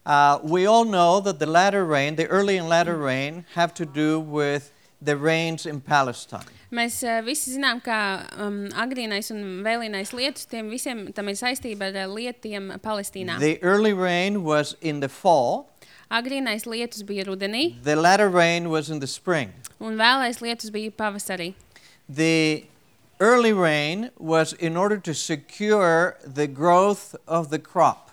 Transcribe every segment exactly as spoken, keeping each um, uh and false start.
Uh, we all know that the latter rain, the early and latter rain, have to do with the rains in Palestine. Mēs uh, visi zinām, ka um, agrīnais un vēlīnais lietus, tiem visiem tam ir saistība ar lietiem Palestīnā. The early rain was in the fall. Agrīnais lietus bija rudenī. The latter rain was in the spring. Un vēlais lietus bija pavasarī. The early rain was in order to secure the growth of the crop.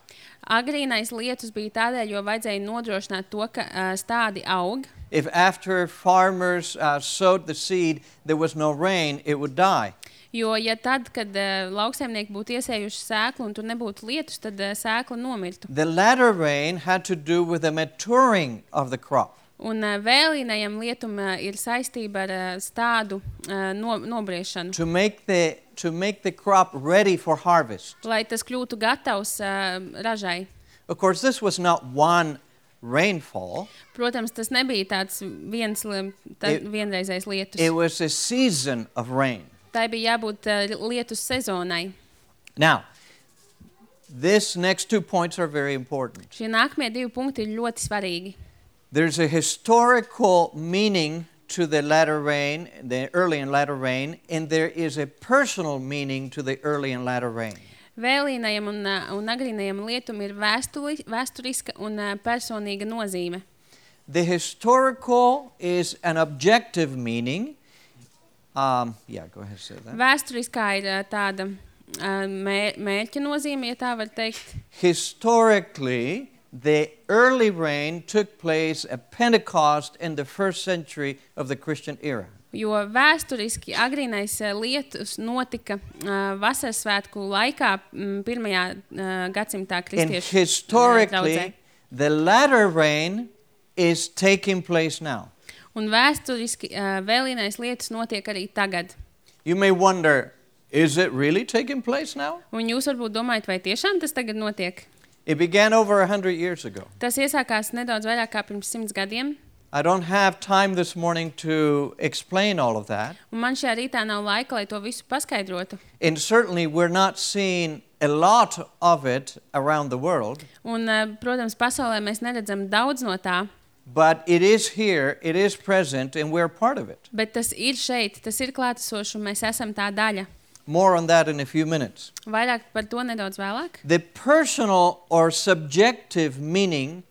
Agrīnais lietus bija tādēļ, jo vajadzēja nodrošināt to, ka uh, stádi aug. If after farmers uh, sowed the seed, there was no rain, it would die. Jo, ja tad, kad uh, lauksaimnieki būtu iesējuši sēklu un tur nebūtu lietus, tad uh, sēkla nomirtu. The latter rain had to do with the maturing of the crop. Un uh, vēlīnajam lietum uh, ir saistība ar uh, stádu uh, no, nobriešanu. To make the to make the crop ready for harvest. Lai tas kļūtu gatavs uh, ražai. Of course, this was not one rainfall. Protams, tas nebija tāds viens tā, It- vienreizējs lietus. It was a season of rain. Tai bija jābūt uh, lietus sezonai. Now, this next two points are very important. Šie nākamie divi punkti ir ļoti svarīgi. There's a historical meaning to the latter rain, the early and latter rain, and there is a personal meaning to the early and latter rain. Vēlīnajam un, uh, un agrīnajam lietum ir vēsturi, vēsturiska un uh, personīga nozīme. The historical is an objective meaning. Um, yeah, go ahead and say that. Vēsturiskā ir uh, tāda uh, mē, mērķa nozīme, ja tā var teikt. Historically, the early rain took place at Pentecost in the first century of the Christian era. Jo vēsturiski agrīnais uh, lietus notika uh, vasaras svētku laikā m, pirmajā uh, gadsimtā And kristiešu uh, historically, draudzē. the latter rain is taking place now. Un vēsturiski uh, vēlīnais lietus notiek arī tagad. You may wonder, is it really taking place now? Un jūs varbūt domājat, vai tiešām tas tagad notiek? It began over a hundred years ago. Tas iesākās nedaudz vairāk kā pirms simts gadiem. I don't have time this morning to explain all of that. Un man šajā rītā nav laika, lai to visu paskaidrotu. And certainly we're not seeing a lot of it around the world. Un, uh, protams, pasaulē mēs neredzam daudz no tā, But it is here, it is present, and we're part of it. bet tas ir šeit, tas ir klātesošs, un mēs esam tā daļa. More on that in a few minutes. Vairāk par to nedaudz vēlāk. The personal or subjective meaning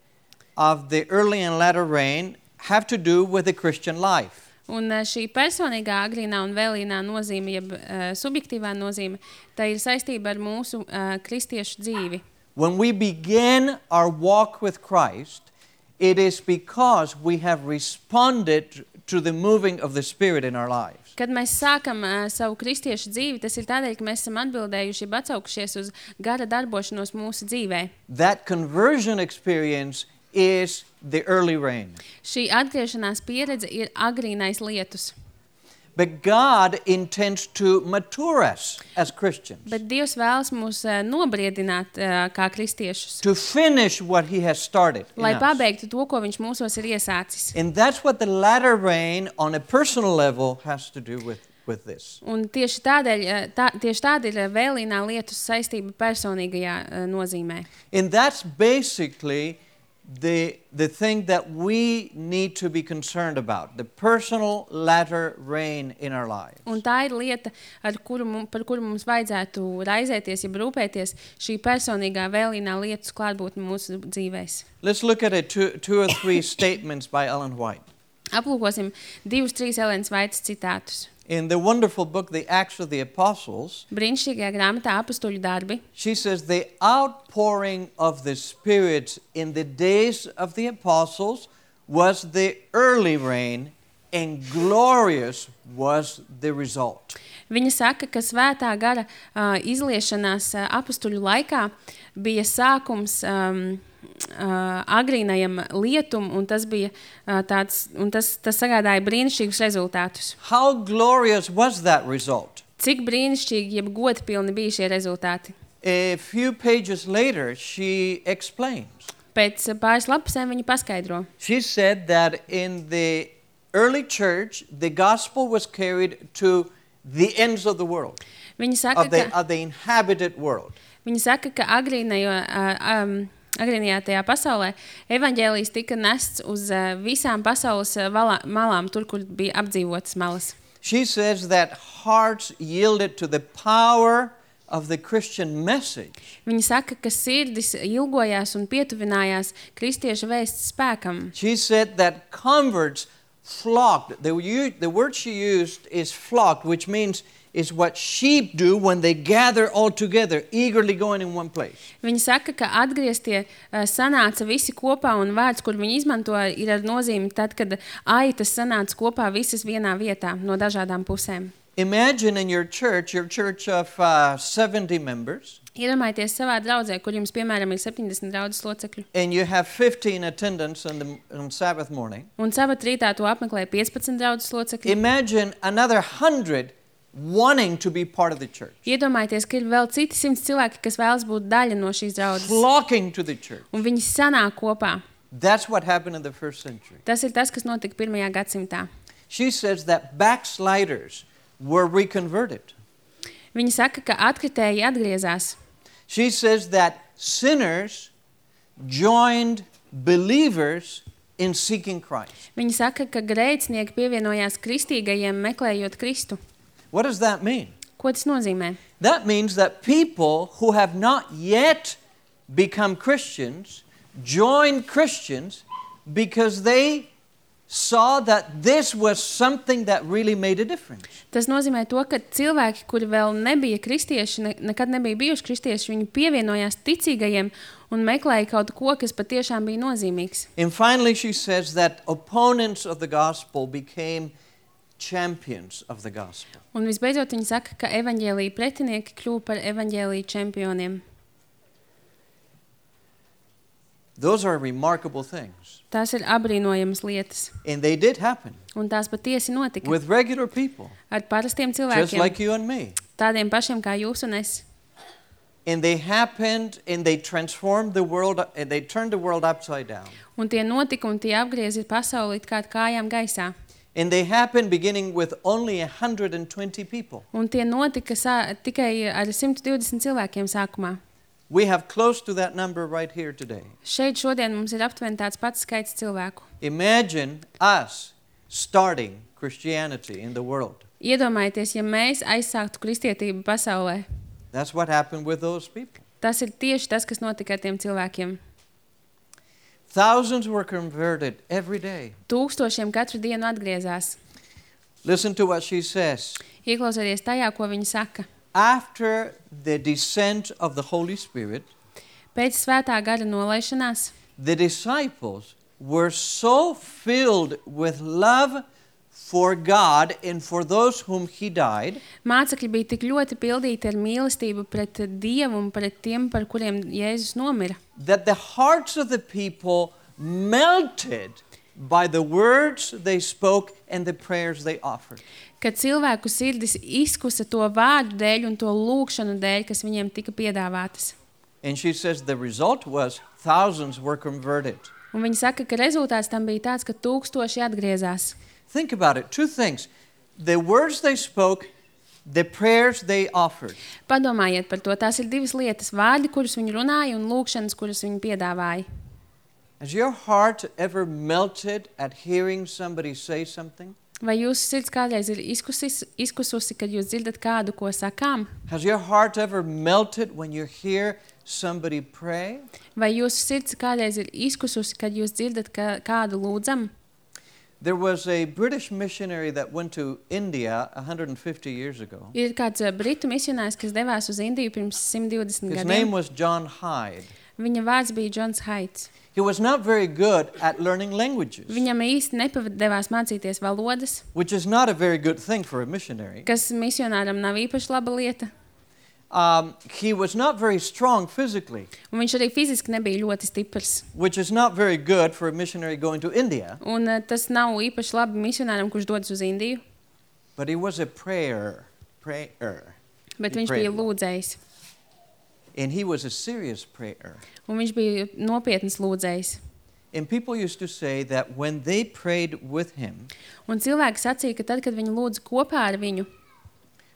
of the early and latter rain have to do with the Christian life. Un uh, šī personīgā agrīnā un vēlīnā nozīme, jeb uh, subjektīvā nozīme, tā ir saistība ar mūsu uh, kristiešu dzīvi. When we begin our walk with Christ, it is because we have responded to the moving of the Spirit in our lives. Kad mēs sākam uh, savu kristiešu dzīvi, tas ir tādēļ, ka mēs esam atbildējuši, jeb atsaukšies uz gara darbošanos mūsu dzīvē. That conversion experience is the early rain. Šī atgriešanās pieredze ir agrīnais lietus. But God intends to mature us as Christians, Bet Dievs vēlas mūs uh, nobriedināt uh, kā kristiešus, to finish what He has started in lai us. pabeigtu to, ko viņš mūsos ir iesācis. And that's what the latter rain on a personal level has to do with, with this. Un tieši tādēļ, uh, tā, tieši tāda ir uh, vēlīnā lietus saistība personīgajā uh, nozīmē. And that's basically the, the thing that we need to be concerned about, the personal latter rain in our lives. Un tā ir lieta, ar kuru, mum- par kuru mums vajadzētu raizēties, jeb rūpēties, šī personīgā vēlīnā lietus klātbūtne mūsu dzīvēs. Let's look at it, two, two or three statements by Ellen White. Aplūkosim divus, trīs Elenas Vaitas citātus. In the wonderful book, The Acts of the Apostles, Brīnišķīgajā grāmatā Apustuļu darbi. she says, the outpouring of the Spirit in the days of the apostles was the early rain, and glorious was the result. Viņa saka, ka svētā gara uh, izliešanās uh, apustuļu laikā bija sākums um, uh, agrīnajam lietum, un tas bija uh, tāds, un tas, tas sagādāja brīnišķīgus rezultātus. How glorious was that result? Cik brīnišķīgi, jeb godpilni bija šie rezultāti. A few pages later, she explains. Pēc uh, pāris lapusēm viņa paskaidro. She said that in the early church, the gospel was carried to the ends of the world, Viņa saka, of the, ka, of the inhabited world. viņa saka, ka agrīnajo, uh, um, agrīnajā tajā pasaulē, evaņģēlijs tika nests uz uh, visām pasaules uh, valā, malām, tur, kur bija apdzīvotas malas. She says that hearts yielded to the power of the Christian message. Viņa saka, ka sirdis ilgojās un pietuvinājās kristiešu vēsts spēkam. She said that converts flocked. The, the word she used is flocked, which means is what sheep do when they gather all together, eagerly going in one place. Viņa saka, ka atgrieztie uh, sanāca visi kopā, un vārds, kur viņi izmanto, ir ar nozīmi tad, kad aitas sanāca kopā visas vienā vietā no dažādām pusēm. Imagine in your church, your church of uh, seventy members. Iedomājieties savā draudzē, kur jums, piemēram, ir septiņdesmit draudzes locekļu. And you have fifteen attendants on, the, on Sabbath morning. Un sabat rītā to apmeklē piecpadsmit draudzes locekļi. Imagine another hundred wanting to be part of the church. Iedomājieties, ka ir vēl citi simts cilvēki, kas vēlas būt daļa no šīs draudzes. Flocking to the church. Un viņi sanāk kopā. That's what happened in the first century. Tas ir tas, kas notika pirmajā gadsimtā. She says that backsliders were reconverted. Viņa saka, ka atkritēji atgriezās. She says that sinners joined believers in seeking Christ. Viņa saka, ka grēcinieki pievienojās kristīgajiem, meklējot Kristu. What does that mean? Ko tas nozīmē? That means that people who have not yet become Christians joined Christians because they saw that this was something that really made a difference. Tas nozīmē to, ka cilvēki, kuri vēl nebija kristieši, ne, nekad nebija bijuši kristieši, viņi pievienojās ticīgajiem un meklēja kaut ko, kas patiešām bija nozīmīgs. And finally she says that opponents of the gospel became champions of the gospel. Un visbeidzot viņa saka, ka evaņģēlija pretinieki kļuva par evaņģēlija čempioniem. Those are remarkable things. Tās ir abrīnojamas lietas. And they did happen. Un tās patiesi notika. With regular people. Ar parastiem Just cilvēkiem. like you and me. Tādiem pašiem kā jūs un es. And they happened and they transformed the world and they turned the world upside down. Un tie notika un tie apgrieza pasauli it kā kājām gaisā. And they happened beginning with only one hundred twenty people. Un tie notika sā, tikai ar simt divdesmit cilvēkiem sākumā. We have close to that number right here today. Šeit šodien mums ir aptuveni tāds pats skaits cilvēku. Imagine us starting Christianity in the world. Iedomājieties, ja mēs aizsāktu kristietību pasaulē. That's what happened with those people. Tas ir tieši tas, kas notika ar tiem cilvēkiem. Thousands were converted every day. Tūkstošiem katru dienu atgriezās. Listen to what she says. Ieklausieties tajā, ko viņa saka. After the descent of the Holy Spirit, Pēc svētā gara nolaišanās, the disciples were so filled with love for God and for those whom he died, mācekļi bija tik ļoti pildīti ar mīlestību pret Dievu un pret tiem, par kuriem Jēzus nomira, that the hearts of the people melted by the words they spoke and the prayers they offered. ka cilvēku sirdis izkusa to vārdu dēļ un to lūgšanu dēļ, kas viņiem tika piedāvātas. And she says the result was thousands were converted. Un viņa saka, ka rezultāts tam bija tāds, ka tūkstoši atgriezās. Think about it. Two things. The words they spoke, the prayers they offered. Padomājiet par to. Tās ir divas lietas. Vārdi, kurus viņi runāja, un lūgšanas, kuras viņi piedāvāja. Has your heart ever melted at hearing somebody say something? Vai jūsu sirds kādreiz ir izkusis, izkususi, kad jūs dzirdat kādu, ko sakām? Has your heart ever melted when you hear somebody pray? Vai jūsu sirds kādreiz ir izkususi, kad jūs dzirdat kā, kādu lūdzam? There was a British missionary that went to India one hundred fifty years ago. Ir kāds uh, britu misionārs, kas devās uz Indiju pirms simt divdesmit His gadiem. name was John Hyde. Viņa vārds bija Džons Haids. He was not very good at learning languages, Viņam īsti nepavadevās mācīties valodas, which is not a very good thing for a missionary. kas misionāram nav īpaši laba lieta. Um, he was not very strong physically, Un viņš arī fiziski nebija ļoti stiprs. which is not very good for a missionary going to India. Un uh, tas nav īpaši labi misionāram, kurš dodas uz Indiju, But he was a prayer, prayer. bet He viņš prayed bija a lot. lūdzējs. And he was a serious prayer. Un viņš bija nopietns lūdzējs. And people used to say that when they prayed with him, Un cilvēki sacīja, ka tad, kad viņi lūdza kopā ar viņu,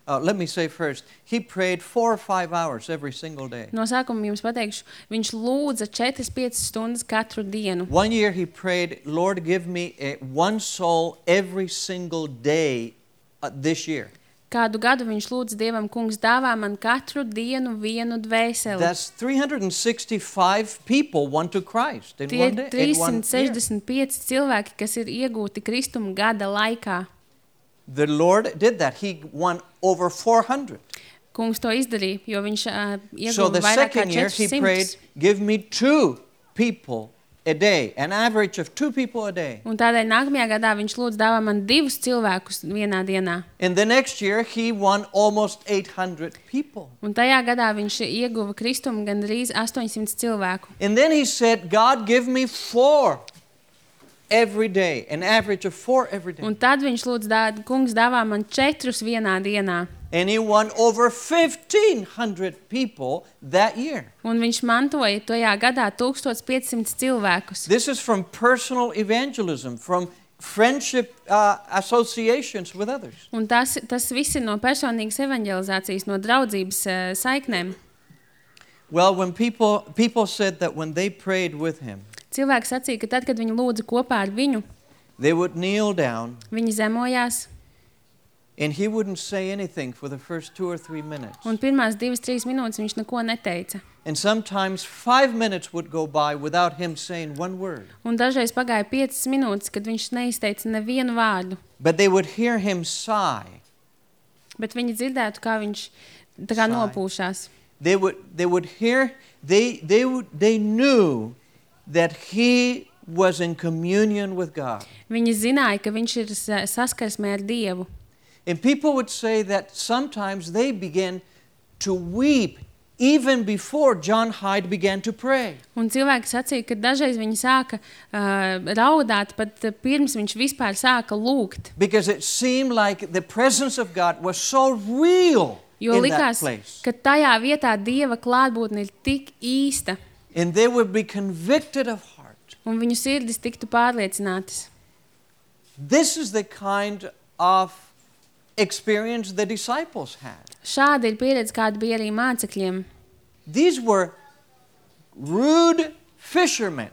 Uh, let me say first, he prayed four or five hours every single day. No sākuma jums pateikšu, viņš lūdza četras piecas stundas katru dienu. One year he prayed, Lord, give me a, one soul every single day uh, this year. Kādu gadu viņš lūdza Dievam, kungs, dāvā man katru dienu vienu dvēseli. That's three hundred sixty-five people won to Christ in Tie one day. In one trīs simt year. sešdesmit pieci cilvēki, kas ir iegūti Kristuma gada laikā. The Lord did that. He won over four hundred. Kungs to izdarīja, jo viņš uh, So ieguva the vairāk kā second year he četras prayed, simtus. give me two people a day, an average of two people a day. Un tādēļ nākamajā gadā viņš lūdza dāvā man divus cilvēkus vienā dienā. In the next year he won almost eight hundred people. Un tajā gadā viņš ieguva Kristumu gandrīz astoņsimt cilvēku. And then he said, God, give me four every day, an average of four every day. Un tad viņš lūdza, dā, kungs, dāvā man četrus vienā dienā. And he won over fifteen hundred people that year. Un viņš mantoja tajā gadā tūkstoš piecsimt cilvēkus. This is from personal evangelism, from friendship uh, associations with others. Un tas, tas viss ir no personīgas evanģelizācijas, no draudzības uh, saiknēm. Well, when people, people said that when they prayed with him, Cilvēki sacīja, ka tad, kad viņi lūdza kopā ar viņu, they would kneel down viņi zemojās, and he wouldn't say anything for the first two or three minutes. un pirmās divas, trīs minūtes viņš neko neteica. And sometimes five minutes would go by without him saying one word. Un dažreiz pagāja piecas minūtes, kad viņš neizteica nevienu vārdu, But they would hear him sigh. bet viņi dzirdētu, kā viņš tā kā Sigh. nopūšās. They would, they would hear, they, they, would, they knew that he was in communion with God. Viņi zināja, ka viņš ir sa- saskarsmē ar Dievu. And people would say that sometimes they began to weep even before John Hyde began to pray. Un cilvēki sacīja, ka dažreiz viņi sāka uh, raudāt, pat uh, pirms viņš vispār sāka lūgt. Because it seemed like the presence of God was so real Jo in that likās, place. ka tajā vietā Dieva klātbūtne ir tik īsta, And they would be convicted of heart. un viņu sirdis tiktu pārliecinātas. This is the kind of experience the disciples had. Šāda ir pieredze, kāda bija arī mācekļiem. These were rude fishermen,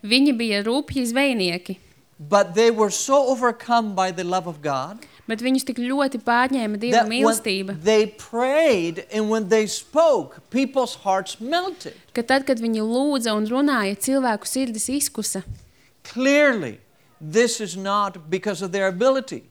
Viņi bija rūpji zvejnieki, but they were so overcome by the love of God bet viņus tik ļoti pārņēma Dieva that mīlestība, when they prayed and when they spoke, people's hearts melted. ka tad, kad viņi lūdza un runāja, cilvēku sirdis izkusa. Clearly, this is not because of their ability.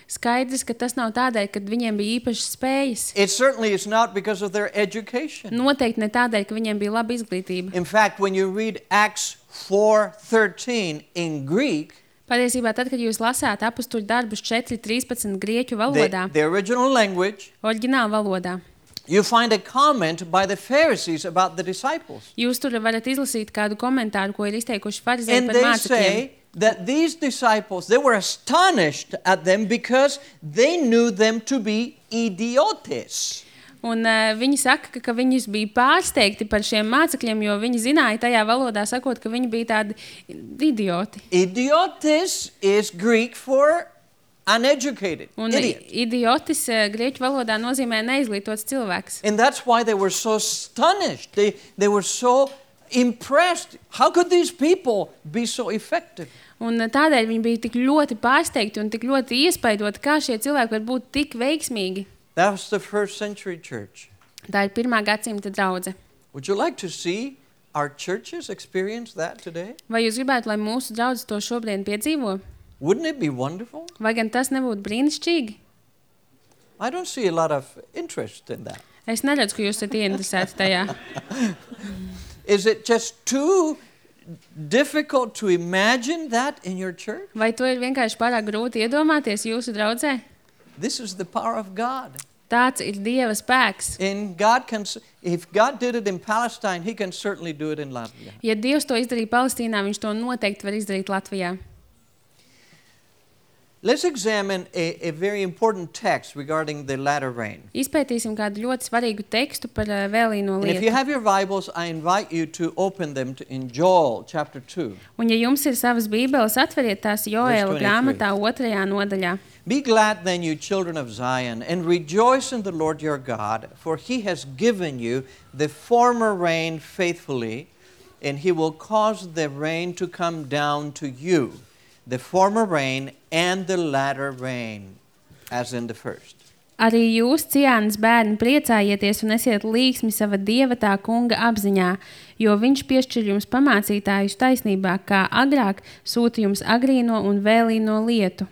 Skaidrs, ka tas nav tādēļ, ka viņiem bija īpašas spējas. It certainly is not because of their education. Noteikti ne tādēļ, ka viņiem bija laba izglītība. In fact, when you read Acts four thirteen in Greek, Patiesībā, tad, kad jūs lasāt apustuļu darbus četri trīspadsmit grieķu the, valodā, the original language, oriģināla valodā, you find a comment by the Pharisees about the disciples. jūs tur varat izlasīt kādu komentāru, ko ir izteikuši farizēji And par they mācekļiem. say that these disciples, they were astonished at them because they knew them to be idiotes. Un uh, viņi saka, ka, ka viņus bija pārsteigti par šiem mācekļiem, jo viņi zināja tajā valodā sakot, ka viņi bija tādi idioti. Idiotes is Greek for uneducated, Un idiot. idiotis uh, grieķu valodā nozīmē neizglītots cilvēks. And that's why they were so astonished. They, they were so impressed. How could these people be so effective? Un uh, tādēļ viņi bija tik ļoti pārsteigti un tik ļoti iespaidoti, kā šie cilvēki var būt tik veiksmīgi. That was the first century church. Tā ir pirmā gadsimta draudze. Would you like to see our churches experience that today? Vai jūs gribētu, lai mūsu draudzes to šobrīd piedzīvo? Wouldn't it be wonderful? Vai gan tas nebūtu brīnišķīgi? I don't see a lot of interest in that. Es neredzu, ka jūs esat ieinteresēti tajā. Is it just too difficult to imagine that in your church? Vai to ir vienkārši pārāk grūti iedomāties jūsu draudzē? This is the power of God. Tāds ir Dieva spēks. And God can, if God did it in Palestine, He can certainly do it in Latvia. Ja Dievs to izdarīja Palestīnā, viņš to noteikti var izdarīt Latvijā. Let's examine a, a very important text regarding the latter rain. Izpētīsim kādu ļoti svarīgu tekstu par uh, vēlīno And if you lietu. have your Bibles, I invite you to open them to, in Joel chapter two. Un ja jums ir savas bībeles, atveriet tās Joēla twenty-three. grāmatā otrajā nodaļā. Be glad then, you children of Zion, and rejoice in the Lord your God, for he has given you the former rain faithfully, and he will cause the rain to come down to you, the former rain and the latter rain, as in the first. Arī jūs, Ciānas bērni, priecājieties un esiet līgsmi sava Dieva tā kunga apziņā, jo viņš piešķir jums pamācītājus taisnībā, kā agrāk sūta jums agrīno un vēlīno lietu.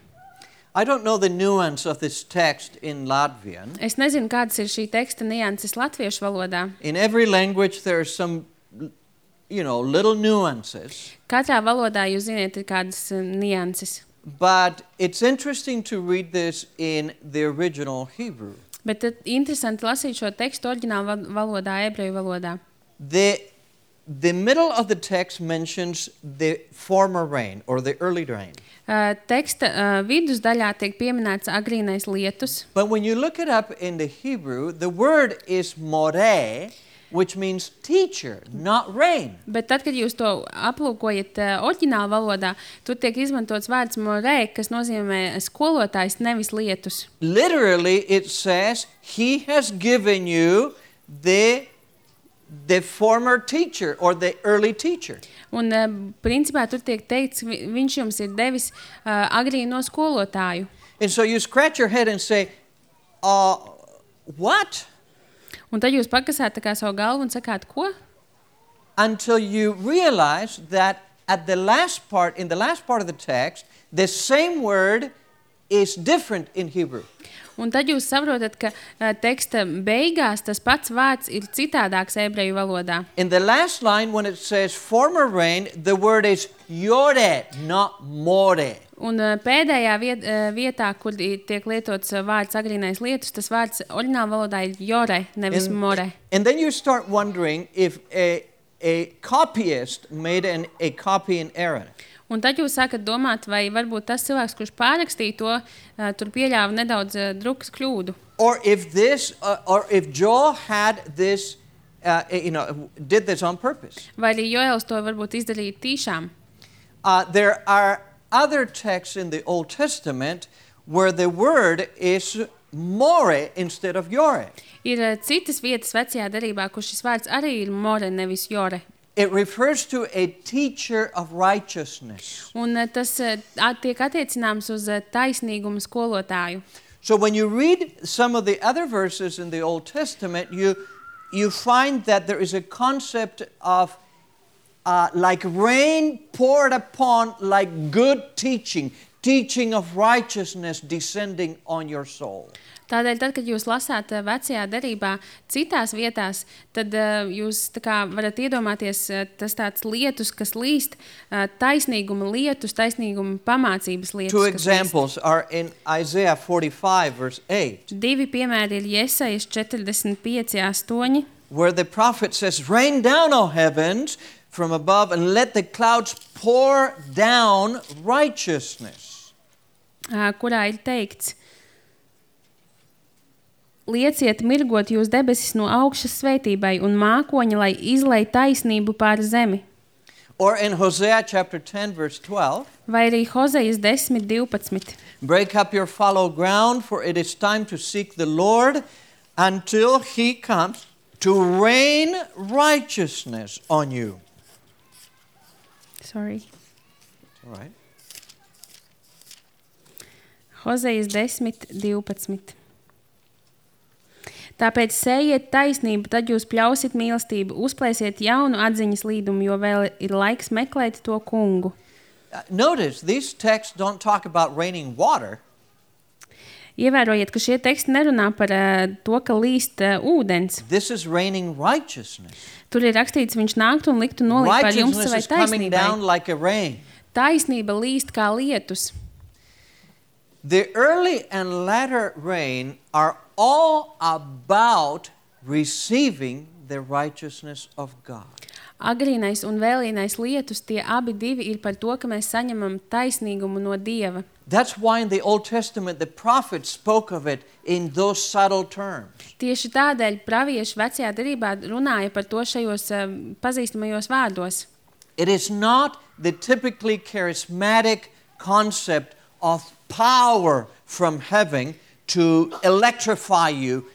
I don't know the nuance of this text in Latvian. Es nezinu, kādas ir šī teksta nianses latviešu valodā. In every language there are some, you know, little nuances. Katrā valodā, jūs ziniet, ir kādas uh, nianses. But it's interesting to read this in the original Hebrew. Bet tad interesanti lasīt šo tekstu oriģinālu valodā, ebreju valodā. The, the middle of the text mentions the former rain or the early rain. Uh, teksta uh, vidusdaļā tiek pieminēts agrīnais lietus. But when you look it up in the Hebrew, the word is moreh, which means teacher, not rain. Bet tad, kad jūs to aplūkojat uh, oriģinālu valodā, tur tiek izmantots vārds moreh, kas nozīmē skolotājs, nevis lietus. Literally, it says, he has given you the, the former teacher or the early teacher. Un uh, principā tur tiek teikts, vi, viņš jums ir devis uh, agrīno skolotāju. And so you scratch your head and say, uh, what? Un tad jūs pakasāt tā kā savu galvu un sakāt, ko? Until you realize that at the last part, in the last part of the text, the same word is different in Hebrew. Un tad jūs saprotat, ka uh, teksta beigās tas pats vārds ir citādāks ebreju valodā. In the last line, when it says former rain, the word is yore, not more. Un uh, pēdējā viet, uh, vietā, kur tiek lietots uh, vārds agrīnais lietus, tas vārds oriģināla valodā ir jore, nevis And, more. and then you start wondering if a, a copyist made an, a copy in error. Un tad jūs sākat domāt, vai varbūt tas cilvēks, kurš pārrakstīja to, uh, tur pieļāva nedaudz uh, drukas kļūdu. Or if this, uh, or if Joel had this, uh, you know, did this on purpose. Vai arī Joels to varbūt izdarīja tīšām. Uh, there are other texts in the Old Testament where the word is more instead of yore. Ir uh, citas vietas vecajā derībā, kur šis vārds arī ir more, nevis jore. It refers to a teacher of righteousness. Un uh, tas uh, tiek attiecināms uz uh, taisnīgumu skolotāju. So when you read some of the other verses in the Old Testament, you, you find that there is a concept of uh, like rain poured upon, like good teaching, teaching of righteousness descending on your soul. Tādēļ, tad, kad jūs lasāt uh, vecajā derībā citās vietās, tad uh, jūs tā kā varat iedomāties uh, tas tāds lietus, kas līst, uh, taisnīguma lietus, taisnīguma pamācības lietus. Two examples are in Isaiah forty-five, verse eight. Divi piemēri ir Jesajas četrdesmit pieci astoņi, where the prophet says, rain down, O heavens, from above, and let the clouds pour down righteousness. uh, kurā ir teikts: lieciet mirgot jūs debesis no augšas svētībai un mākoņi, lai izlej taisnību pār zemi. Or in Hosea chapter ten, verse twelve, Vai arī Hozejas desmit divpadsmit. break up your fallow ground, for it is time to seek the Lord until he comes to rain righteousness on you. Sorry. All right. Hozejas desmit divpadsmit. Tāpēc sējiet taisnību, tad jūs pļausiet mīlestību, uzplēsiet jaunu atziņas līdumu, jo vēl ir laiks meklēt to kungu. Uh, notice, these texts don't talk about raining water. Ievērojiet, ka šie teksti nerunā par uh, to, ka līst uh, ūdens. This is raining righteousness. Tur ir rakstīts, viņš nāktu un liktu nolikt par jums savai Righteousness is coming down taisnībai. like a rain. Taisnība līst kā lietus. The early and latter rain are all about receiving the righteousness of God. Agrīnais un vēlīnais lietus, tie abi divi ir par to, ka mēs saņemam taisnīgumu no Dieva. That's why in the Old Testament the prophets spoke of it in those subtle terms. Tieši tādēļ pravieši vecajā derībā runāja par to šajos uh, pazīstamajos vārdos. It is not the typically charismatic concept of power from heaven to electrify you,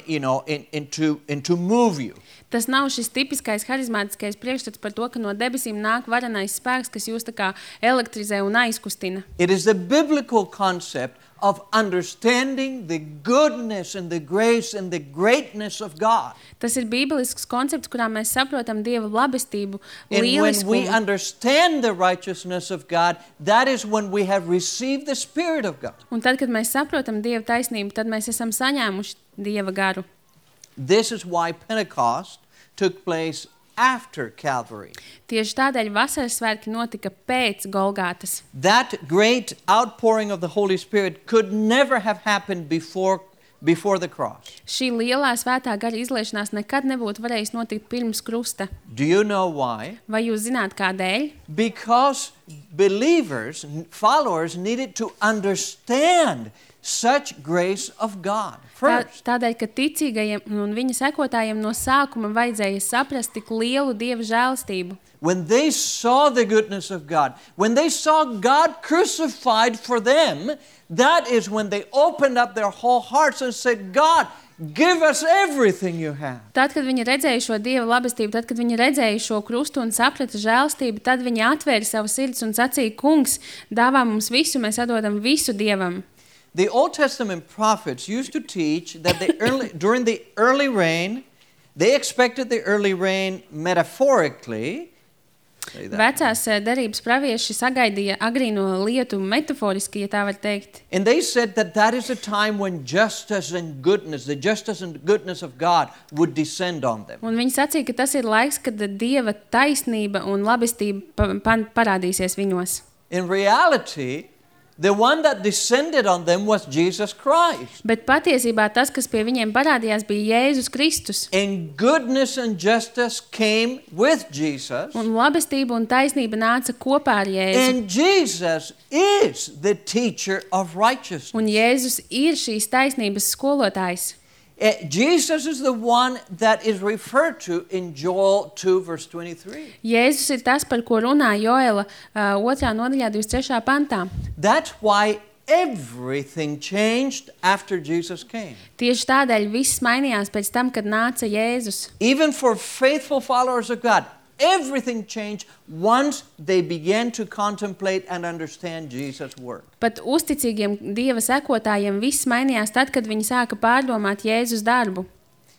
you know, into, into move you. Tas nav šis tipiskais harizmātiskais priekšstats par to, ka no debesīm nāk varenais spēks, kas jūs tā kā elektrizē un aizkustina. It is the biblical concept of understanding the goodness and the grace and the greatness of God. Tas ir bībelisks koncepts, kurā mēs saprotam Dieva labestību, And when we lieliskumu. understand the righteousness of God, that is when we have received the Spirit of God. Un tad, kad mēs saprotam Dieva taisnību, tad mēs esam saņēmuši Dieva garu. This is why Pentecost took place after Calvary. Tieši tādēļ vasaras svētki notika pēc Golgātas. That great outpouring of the Holy Spirit could never have happened before, before the cross. Šī lielā svētā gara izliešanās nekad nebūtu varējis notikt pirms krusta. Do you know why? Vai jūs zināt, kādēļ? Because believers, followers, needed to understand such grace of God Tā, first. tādēļ, ka ticīgajiem un viņa sekotājiem no sākuma vajadzēja saprast tik lielu Dieva žēlastību. When they saw the goodness of God, when they saw God crucified for them, that is when they opened up their whole hearts and said, God, give us everything you have. Tad, kad viņi redzēja šo Dieva labestību, tad, kad viņi redzēja šo krustu un saprata žēlastību, tad viņi atvēra savu sirds un sacīja, Kungs, dāvā mums visu, mēs atdodam visu Dievam. The Old Testament prophets used to teach that the early, during the early rain, they expected the early rain metaphorically. Say that. Vecās eh, derības pravieši sagaidīja agrīno lietu metaforiski, ja tā var teikt. And they said that that is a time when justice and goodness, the justice and goodness of God would descend on them. Un viņi sacīja, ka tas ir laiks, kad Dieva taisnība un labestība pa, pa, parādīsies viņos. In reality, the one that descended on them was Jesus Christ. Bet patiesībā tas, kas pie viņiem parādījās, bija Jēzus Kristus. And goodness and justice came with Jesus. Un labestība un taisnība nāca kopā ar Jēzu. And Jesus is the teacher of righteousness. Un Jēzus ir šīs taisnības skolotājs. Uh, Jesus is the one that is referred to in Joel two verse twenty-three. Jēzus ir tas, par ko runā Joela uh, otrā nodaļā divdesmit trešajā pantā. That's why everything changed after Jesus came. Tieši tādēļ viss mainījās pēc tam, kad nāca Jēzus. Even for faithful followers of God, everything changed once they began to contemplate and understand Jesus' work. Pat uzticīgiem Dieva sekotājiem viss mainījās tad, kad viņi sāka pārdomāt Jēzus darbu.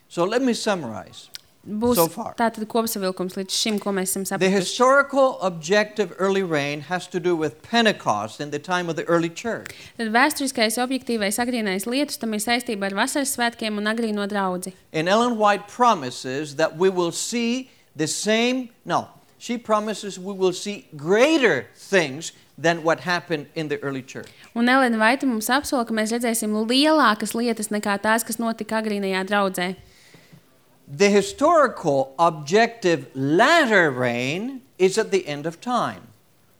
So let me summarize. Būs So far. tātad kopsavilkums līdz šim, ko mēs esam The sapratuši. historical objective early rain has to do with Pentecost in the time of the early church. Tad vēsturiskais objektīvais agrīnais lietus tam ir saistība ar vasaras svētkiem un agrīno draudzi. And Ellen White promises that we will see the same, no, she promises we will see greater things than what happened in the early church. Un Elena Vaita mums apsola, ka mēs redzēsim lielākas lietas nekā tās, kas notika agrīnajā draudzē. The historical objective latter rain is at the end of time.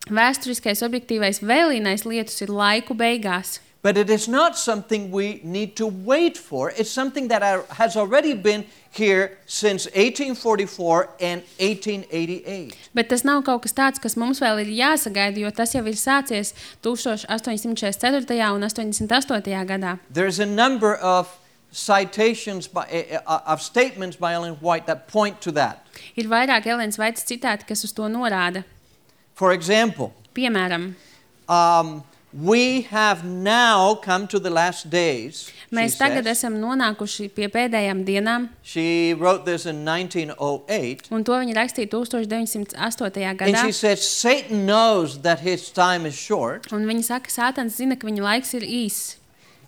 Vēsturiskais objektīvais vēlīnais lietus ir laiku beigās. But it is not something we need to wait for. It's something that are, has already been here since eighteen forty-four and eighteen eighty-eight. Bet tas nav kaut kas tāds, kas mums vēl ir jāsagaida, jo tas jau ir sācies astoņdesmit četrdesmit četrtajā un astoņdesmit astotajā gadā. There's a number of citations by, uh, of statements by Ellen White that point to that. Ir vairāk Elenas Vaitas citāti, kas uz to norāda. For example, Piemēram, um, we have now come to the last days. she mēs tagad says. esam nonākuši pie pēdējām dienām, She wrote this in nineteen oh eight. un to viņa rakstīja deviņdesmit astotajā And gadā. she says Satan knows that his time is short. Un viņa saka, Sātans zina, ka viņa laiks ir īss.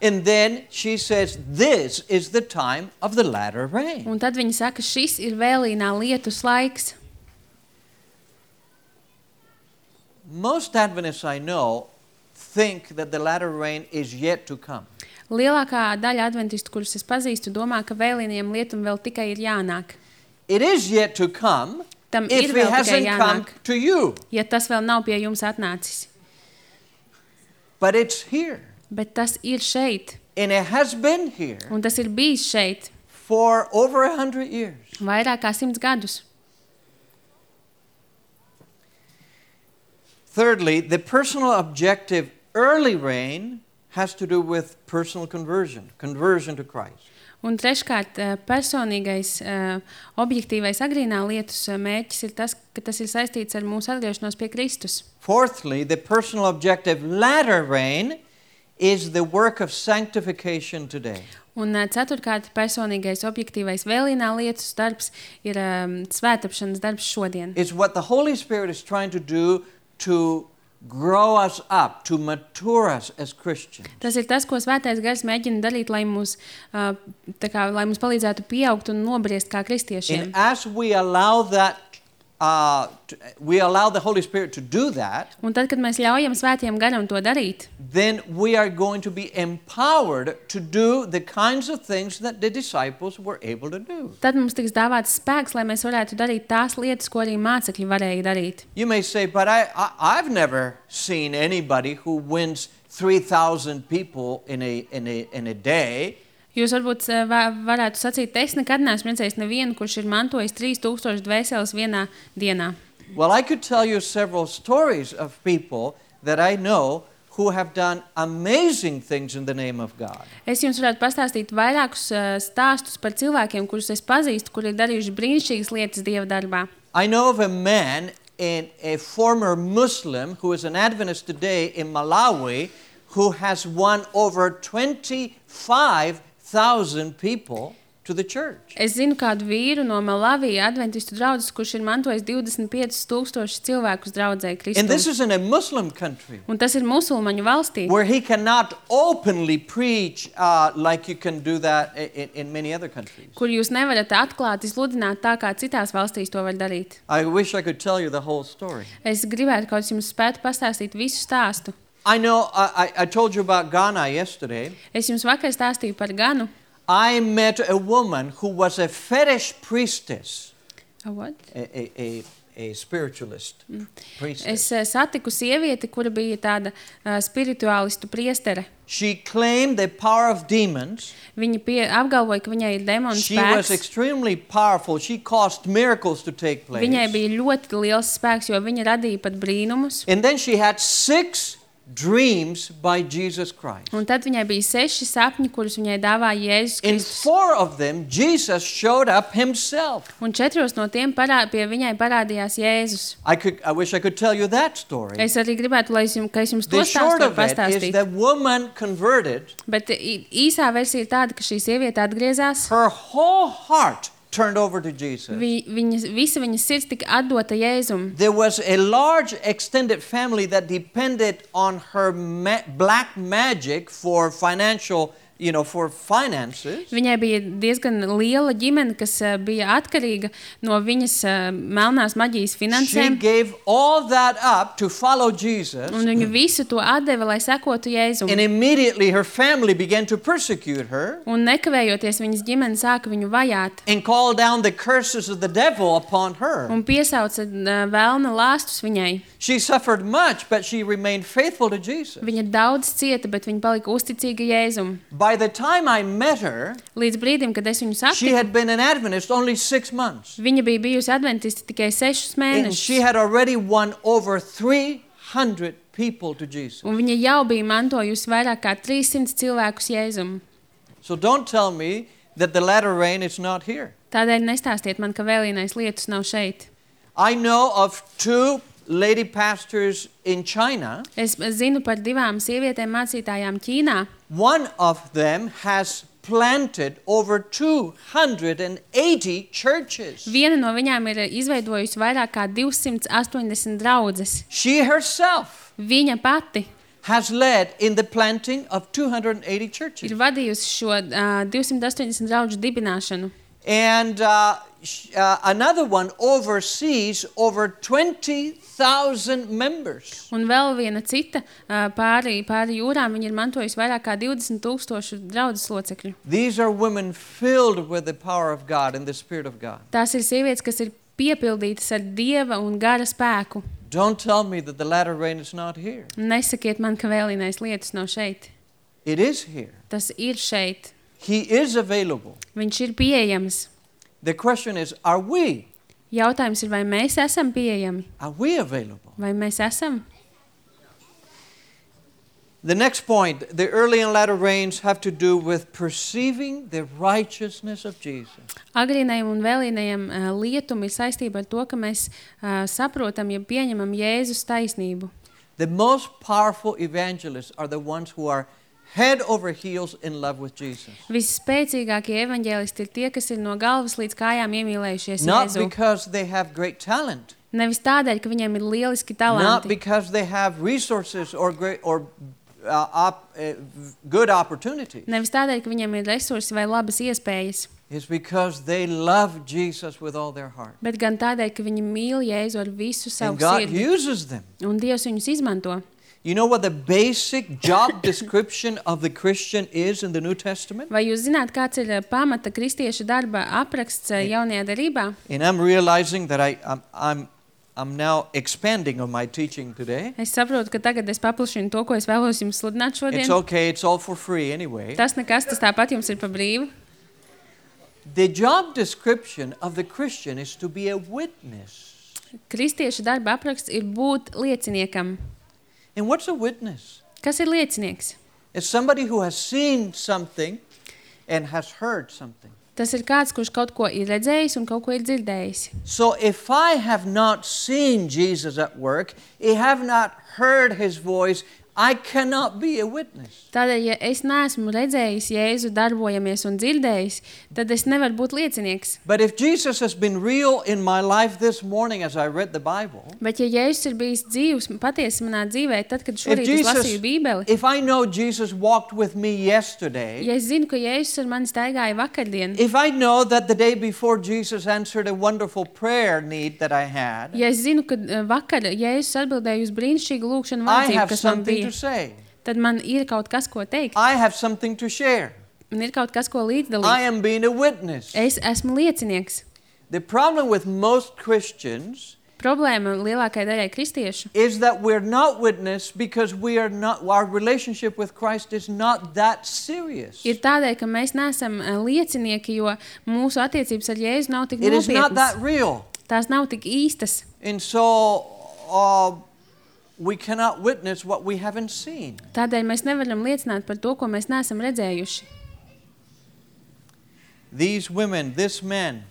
And then she says this is the time of the latter rain. Un tad viņa saka, šis ir vēlīnā lietus laiks. Most Adventists I know think that the latter rain is yet to come. Lielākā daļa adventistu, kurus es pazīstu, domā, ka vēlīniem lietum vēl tikai ir jānāk. It is yet to come Tam if ir it vēl tikai hasn't come jānāk, to you. ja tas vēl nav pie jums atnācis. But it's here. Bet tas ir šeit, And it has been here un tas ir bijis šeit for over a hundred years. vairāk kā simts gadus. Thirdly, the personal objective early rain has to do with personal conversion, conversion to Christ. Un treškārt, personīgais, objektīvais agrīnā lietus mērķis ir tas, ka tas ir saistīts ar mūsu atgriešanos pie Kristus. Fourthly, the personal objective latter rain is the work of sanctification today. Un ceturtkārt, personīgais objektīvais vēlīnā lietus darbs ir um, svētapšanas darbs šodien. It's what the Holy Spirit is trying to do to grow us up, to mature us as Christians. Tas ir tas, ko Svētais Gars mēģina darīt, lai mums, uh, tā kā, lai mums palīdzētu pieaugt un nobriest kā kristiešiem. And as we allow that, uh, to, we allow the Holy Spirit to do that, Un tad, kad mēs ļaujam Svētajam Garam to darīt, then we are going to be empowered to do the kinds of things that the disciples were able to do. tad mums tiks dāvāts spēks, lai mēs varētu darīt tās lietas, ko arī mācekļi varēja darīt. You may say, but I, I, I've never seen anybody who wins three thousand people in a, in a, in a day. Jūs varbūt uh, va- varētu sacīt, es nekad neesmu redzējis nevienu, kurš ir mantojis trīs tūkstoši dvēseles vienā dienā. Well, I could tell you several stories of people that I know who have done amazing things in the name of God. Es jums varētu pastāstīt vairākus uh, stāstus par cilvēkiem, kurus es pazīstu, kuri ir darījuši brīnišķīgas lietas Dieva darbā. I know of a man, in a former Muslim, who is an Adventist today in Malawi, who has won over twenty-five thousand people to the church. Es zinu kādu vīru no Malavija adventistu draudzes, kurš ir mantojis divdesmit piecus tūkstošus cilvēkus draudzē And this Kristū. is in a Muslim country Un tas ir musulmaņu valstī, where he cannot openly preach uh, like you can do that in, in many other countries. kur jūs nevarat atklāti sludināt tā, kā citās valstīs to var darīt. I wish I could tell you the whole story. Es gribētu kaut jums spētu pastāstīt visu stāstu. I know, I, I I told you about Ghana yesterday. Es jums vakar stāstīju par Ganu. I met a woman who was a fetish priestess, A what? a, a, a, a spiritualist priestess. Es eh, satiku sievieti, kura bija tāda uh, spirituālistu priestere. She claimed the power of demons. Viņa pie, apgalvoja, ka viņai ir demonu She was spēks. extremely powerful. She caused miracles to take place. Viņai bija ļoti liels spēks, jo viņa radīja pat brīnumus. And then she had six dreams by Jesus Christ. Un tad viņai bija seši sapņi, kurus viņai dāvāja Jēzus In Kristus. four of them, Jesus showed up himself. Un četros no tiem parā, pie viņai parādījās Jēzus. I could, I wish I could tell you that story. Es arī gribētu, lai es jums, ka es jums to The short stāstu of it is pastāstītu. that woman converted. Bet ī- īsā versija ir tāda, ka šī sieviete atgriezās. Her whole heart turned over to Jesus. Vi, viņas, visa viņas sirds tika atdota Jēzum. There was a large extended family that depended on her ma- black magic for financial, you know, for finances. Viņai bija diezgan liela ģimene, kas uh, bija atkarīga no viņas uh, melnās maģijas She finansēm. gave all that up to follow Jesus, Un viņa visu to atdeva, lai sekotu Jēzum. and immediately her family began to persecute her Un nekavējoties viņas ģimene sāka viņu vajāt. and call down the curses of the devil upon her. Un piesauca uh, vēlna lāstus viņai. She suffered much, but she remained faithful to Jesus. Viņa daudz cieta, bet viņa palika uzticīga Jēzum. By the time I met her, Līdz brīdim, kad es viņu she satiku, had been an Adventist only six months. viņa bija bijusi adventisti tikai sešus And she mēnešus. had already won over three hundred people to Jesus. Un viņa jau bija mantojusi vairāk kā trīssimts cilvēkus Jēzum. So don't tell me that the latter rain is not here. Tādēļ nestāstiet man, ka vēlīnais lietus nav šeit. I know of two lady pastors in China. Es zinu par divām sievietēm mācītājām Ķīnā. One of them has planted over two hundred eighty churches. Viena no viņām ir izveidojusi vairāk kā divsimt astoņdesmit draudzes. She herself Viņa pati has led in the planting of two hundred eighty churches. ir vadījusi šo uh, divsimt astoņdesmit draugu dibināšanu. And uh, sh- uh, another one oversees over twenty thousand members. Un vēl viena cita uh, pāri, pāri jūrām, viņa ir mantojusi vairāk kā divdesmit tūkstošu draudzes locekļu. These are women filled with the power of God and the Spirit of God. Tās ir sievietes, kas ir piepildītas ar Dieva un gara spēku. Don't tell me that the latter rain is not here. Nesakiet man, ka vēlīnais lietus nav šeit. It is here. Tas ir šeit. He is available. Viņš ir pieejams. The question is, are we? Jautājums ir, vai mēs esam pieejami? Are we available? Vai mēs esam? The next point, the early and latter rains have to do with perceiving the righteousness of Jesus. Agrīnajam un vēlīnajam uh, lietum ir saistība ar to, ka mēs uh, saprotam, ja pieņemam Jēzus taisnību. The most powerful evangelists are the ones who are head over heels in love with Jesus. Visspēcīgākie evaņģēlisti ir tie, kas ir no galvas līdz kājām iemīlējušies Not Jēzu. because they have great talent. Nevis tādēļ, ka viņiem ir lieliski Not talanti. because they have resources or great or uh, op, uh, good opportunities. Nevis tādēļ, ka viņiem ir resursi vai labas iespējas. It's because they love Jesus with all their heart. Bet gan tādēļ, ka viņi mīl Jēzu ar visu savu And God sirdi. uses them. Un Dievs viņus izmanto. You know what the basic job description of the Christian is in the New Testament? Vai jūs zināt, kāds ir pamata kristieša darba apraksts jaunajā derībā? And I'm realizing that I, I'm, I'm, I'm now expanding on my teaching today. Es saprotu, ka tagad es paplašinu to, ko es vēlos jums sludināt šodien. It's okay, it's all for free anyway. Tas nekas, tas tāpat jums ir pa brīvu. The job description of the Christian is to be a witness. Kristieša darba apraksts ir būt lieciniekam. And what's a witness? Kas ir liecinieks? It's somebody who has seen something and has heard something. Tas ir kāds, kurš kaut ko ir redzējis un kaut ko ir dzirdējis. So if I have not seen Jesus at work, I have not heard his voice, I cannot be a witness. Tādēļ, ja es neesmu redzējis Jēzu darbojamies un dzirdējis, tad es nevaru būt liecinieks. But if Jesus has been real in my life this morning as I read the Bible, Bet ja Jēzus ir bijis dzīvs, patiesi manā dzīvē, tad, kad if šorīt es Jesus, lasīju Bībeli, if I know Jesus walked with me yesterday, ja es zinu, ka Jēzus ar mani staigāja vakardien, if I know that the day before Jesus answered a wonderful prayer need that I had, ja es zinu, ka uh, vakar Jēzus atbildēja uz brīnišķīgu lūgšanu I vajadzību, have kas man something bija, to say. tad man ir kaut kas, ko teikt, I have something to share. un ir kaut kas, ko I līdzdalīt. am being a witness. Es esmu liecinieks. The problem with most Christians Problēma lielākajai daļai kristiešu is that we're not witness because we are not, our relationship with Christ is not that serious. ir tādēļ, ka mēs neesam uh, liecinieki, jo mūsu attiecības ar Jēzu nav tik It is not that nopietnas. real. Tās nav tik īstas. And so uh, we cannot witness what we haven't seen. Tādēļ mēs nevaram liecināt par to, ko mēs neesam redzējuši. These women, this man,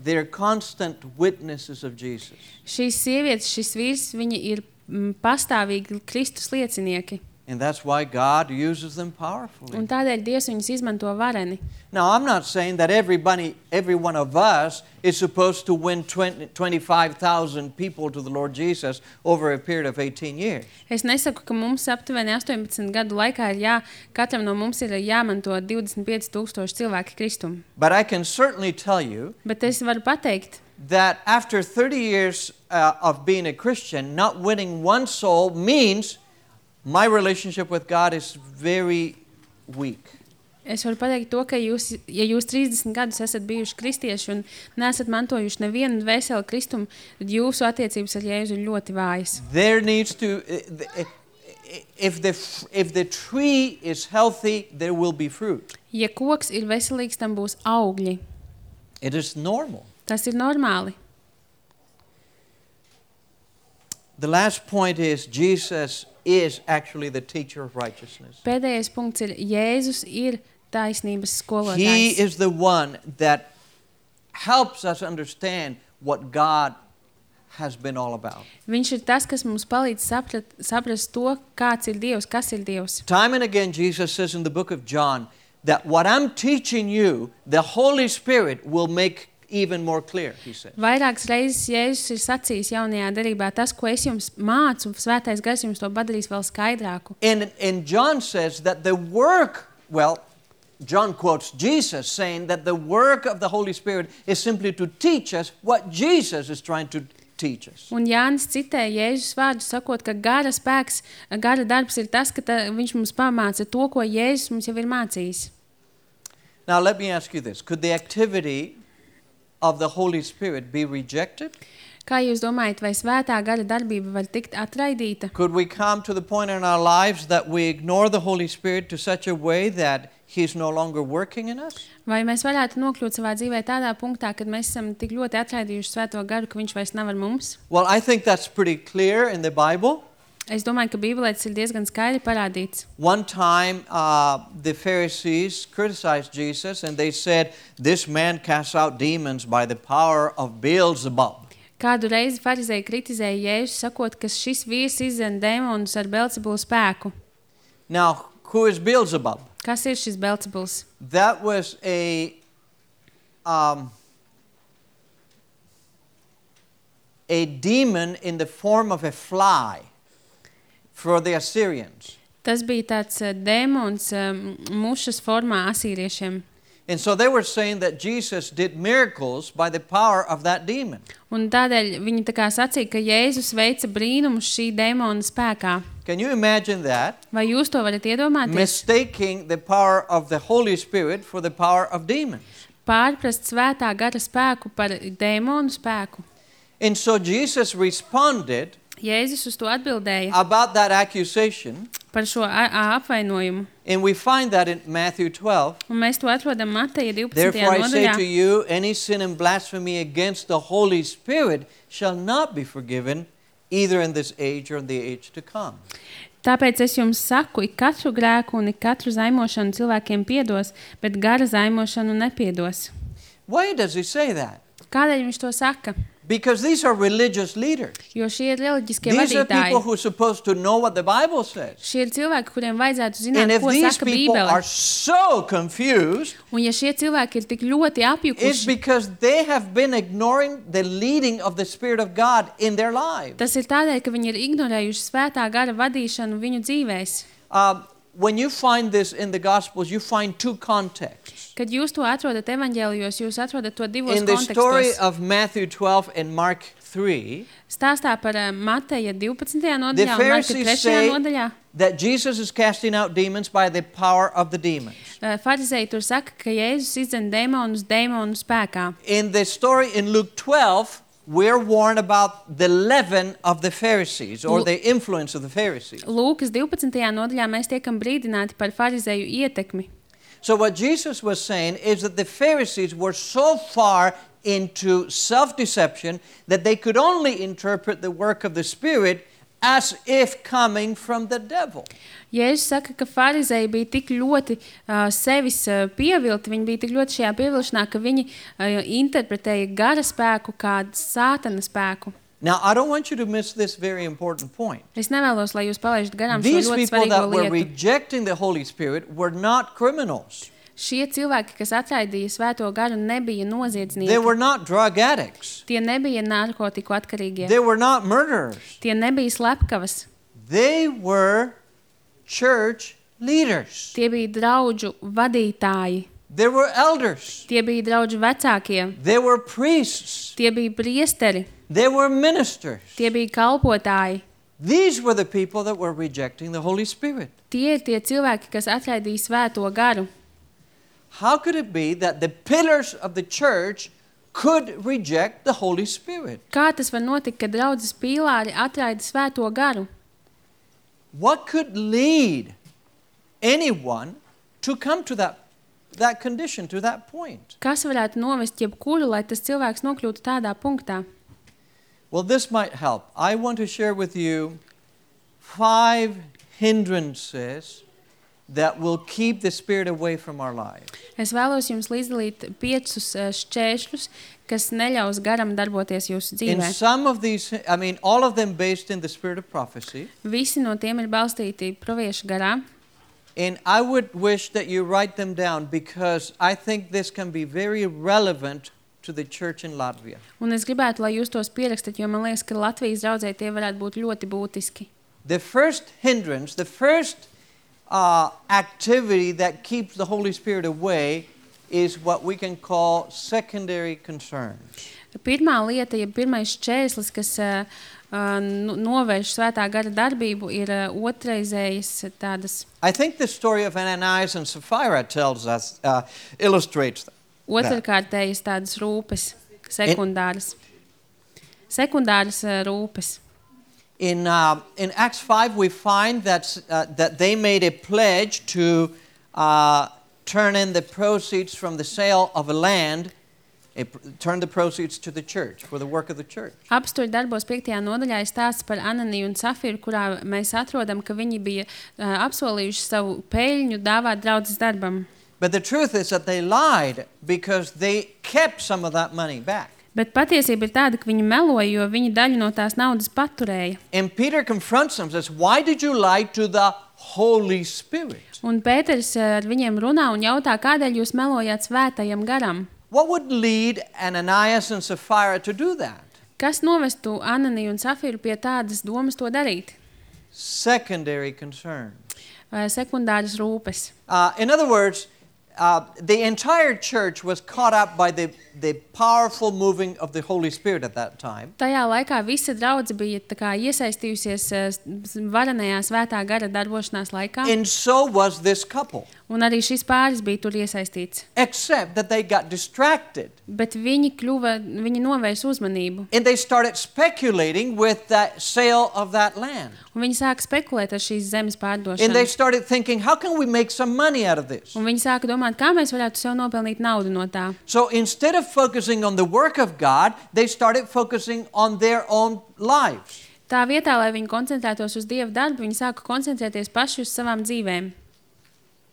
they're constant witnesses of Jesus. Šīs sievietes, šis vīrs, viņi ir mm, pastāvīgi Kristus liecinieki. And that's why God uses them powerfully. Un tādēļ Dievs viņus izmanto vareni. Now, I'm not saying that everybody, every one of us is supposed to win twenty, twenty-five thousand people to the Lord Jesus over a period of eighteen years. Es nesaku, ka mums aptuveni astoņpadsmit gadu laikā ir jā, katram no mums ir jāmanto divdesmit pieci tūkstoši cilvēki Kristum. But I can certainly tell you Bet es varu pateikt, that after thirty years uh, of being a Christian, not winning one soul means my relationship with God is very weak. es varu pateikt to, ka jūs, ja jūs trīsdesmit gadus esat bijuši kristieši un neesat mantojuši nevienu dvēseli Kristum, tad jūsu attiecības ar Jēzu ir ļoti vājas. There needs to, if the, if the tree is healthy, there will be fruit. Ja koks ir veselīgs, tam būs augļi. It is normal. Tas ir normāli. The last point is Jesus is actually the teacher of righteousness. Pēdējais punkts ir, Jēzus ir taisnības He skolotājs. is the one that helps us understand what God has been all about. Viņš ir tas, kas mums palīdz saprat, saprast to, kāds ir Dievs, kas ir Dievs. Time and again, Jesus says in the book of John that what I'm teaching you, the Holy Spirit will make even more clear, he says. Vairākas reizes Jēzus ir sacījis jaunajā derībā, tas, ko es jums mācu, Svētais Gars jums to padarīs vēl skaidrāku. And, and John says that the work, well, John quotes Jesus saying that the work of the Holy Spirit is simply to teach us what Jesus is trying to teach us. Un Jānis citē Jēzus vārdu, sakot, ka gara spēks, gara darbs ir tas, ka ta, viņš mums pamāca to, ko Jēzus mums jau ir mācījis. Now let me ask you this. Could the activity of the Holy Spirit be rejected? Kā jūs domājat, vai svētā gara darbība var tikt atraidīta? Could we come to the point in our lives that we ignore the Holy Spirit to such a way that He's no longer working in us? Vai mēs varētu nokļūt savā dzīvē tādā punktā, kad mēs esam tik ļoti atraidījuši svēto garu, ka viņš vairs nav ar mums? Well, I think that's pretty clear in the Bible. Es domāju, ka Bībelē tas ir diezgan skaidri parādīts. One time, uh, the Pharisees criticized Jesus and they said, "This man casts out demons by the power of Beelzebub." Kādu reizi farizēji kritizēja Jēzu, sakot, ka šis vīrs izdzen dēmonus ar Belzebulu spēku. Now, who is Beelzebub? Kas ir šis Belzebuls? That was a um, a demon in the form of a fly for the Assyrians. Tas bija tāds uh, dēmons um, mušas formā asīriešiem. And so they were saying that Jesus did miracles by the power of that demon. Un tādēļ viņi tā kā sacīja, ka Jēzus veica brīnumus šī dēmona spēkā. Can you imagine that? Vai jūs to varat iedomāties? Mistaking the power of the Holy Spirit for the power of demons. Pārprast svētā gara spēku par dēmonu spēku. And so Jesus responded Jēzus uz to atbildēja about that accusation. Par šo a- a- apvainojumu. And we find that in Matthew twelve. Un mēs to atrodam Mateja Therefore divpadsmitajā I say nodaļā. to you, any sin and blasphemy against the Holy Spirit shall not be forgiven, either in this age or in the age to come. Tāpēc es jums saku, ik katru grēku un ik katru zaimošanu cilvēkiem piedos, bet gara zaimošanu nepiedos. Why does he say that? Kādēļ viņš to saka? Because these are religious leaders. Jo šie ir reliģiskie These are vadītāji. people who are supposed to know what the Bible says. Šie ir cilvēki, kuriem vajadzētu And zināt, if ko these saka people Bībele. are so confused, Un ja šie cilvēki ir tik ļoti it's apjukuši, because they have been ignoring the leading of the Spirit of God in their lives. tas ir tādēļ, ka viņi ir ignorējuši svētā gara vadīšanu viņu dzīvēs. Um, when you find this in the Gospels, you find two contexts. Kad jūs to atrodat evaņģēlijos, jūs atrodat to divos In the story kontekstos. of Matthew twelve and Mark three, Stāstā par uh, Mateja divpadsmitajā the nodaļā un Marka Pharisees trešajā say nodaļā. that Jesus is casting out demons by the power of the demons. Uh, Farizēji tur saka, ka Jēzus izdzen dēmonus dēmonu spēkā. In the story in Luke twelve, we're warned about the leaven of the Pharisees or Lu- the influence of the Pharisees. Lūkas divpadsmitajā nodaļā mēs tiekam brīdināti par farizēju ietekmi. So what Jesus was saying is that the Pharisees were so far into self-deception that they could only interpret the work of the Spirit as if coming from the devil. Jēzus saka, ka farizēji bija tik ļoti uh, sevis uh, pievilti, viņi bija tik ļoti šajā pievilšanā, ka viņi uh, interpretēja gara spēku kā sātana spēku. Now, I don't want you to miss this very important point. Es nevēlos, lai jūs palaižat garām šo These ļoti people svarīgo that were lietu. rejecting the Holy Spirit were not criminals. Šie cilvēki, kas atraidīja svēto garu, nebija They noziedznieki. were not drug addicts. Tie nebija narkotiku atkarīgie. They were not murderers. Tie nebija slepkavas. They were church leaders. Tie bija draudžu vadītāji. They were elders. Tie bija draudžu vecākie. They were priests. Tie bija priesteri. They were ministers. Tie bija kalpotāji. These were the people that were rejecting the Holy Spirit. Tie ir tie cilvēki, kas atraidīja svēto garu. How could it be that the pillars of the church could reject the Holy Spirit? Kā tas var notikt, kad draudzes pīlāri atraida svēto garu? What could lead anyone to come to that, that condition, to that point? Kas varētu novest jebkuru, lai tas cilvēks nokļūtu tādā punktā? Well, this might help. I want to share with you five hindrances that will keep the Spirit away from our lives. Es vēlos jums līdzdalīt piecus eh, šķēršļus, kas neļaus garam darboties jūsu In dzīvē. some of these, I mean, all of them based in the spirit of prophecy. Visi no tiem ir balstīti praviešu garā. And I would wish that you write them down because I think this can be very relevant to the church in Latvia. Un es gribētu, lai jūs tos pierakstat, jo man liekas, ka Latvijas draudzē tie varētu būt ļoti būtiski. The first hindrance, the first uh, activity that keeps the Holy Spirit away is what we can call secondary concerns. Pirmā lieta, ja pirmais šķērslis, kas uh, uh, nu- novērš svētā gara darbību, ir uh, otrreizējas tādas, I think the story of Ananias and Sapphira tells us, uh, illustrates that. otrkārtējas tādas rūpes, sekundāras. Sekundāras uh, rūpes. In, uh, in Acts five, we find that, uh, that they made a pledge to uh, turn in the proceeds from the sale of a land It turned the proceeds to the church for the work of the church. Apstuļu darbos piektajā nodaļā ir stāsts par Ananiju un Safiru, kurā mēs atrodam, ka viņi bija uh, apsolījuši savu peļņu dāvāt draudzes darbam. But the truth is that they lied because they kept some of that money back. Bet patiesība ir tāda, ka viņi meloja, jo viņi daļu no tās naudas paturēja. And Peter confronts them and says, why did you lie to the Holy Spirit? Un Pēters uh, ar viņiem runā un jautā, kādēļ jūs melojāt svētajam garam? What would lead Ananias and Sapphira to do that? Kas novestu Ananiju un Safiru pie tādas domas to darīt? Secondary concern. Uh, sekundāras rūpes. Uh, in other words, uh, the entire church was caught up by the, the powerful moving of the Holy Spirit at that time. Tajā laikā visa draudze bija tā kā iesaistījusies uh, varenajā svētā gara darbošanās laikā. And so was this couple. Un arī šis pāris bija tur iesaistīts. Except that they got distracted. Bet viņi kļuva, viņi novērsa uzmanību. And they started speculating with that sale of that land. Un viņi sāka spekulēt ar šīs zemes And they pārdošanu. started thinking, how can we make some money out of this? Un viņi sāka domāt, kā mēs varētu sev nopelnīt naudu no tā. So instead of focusing on the work of God, they started focusing on their own lives. Tā vietā, lai viņi koncentrētos uz Dieva darbu, viņi sāka koncentrēties paši uz savām dzīvēm.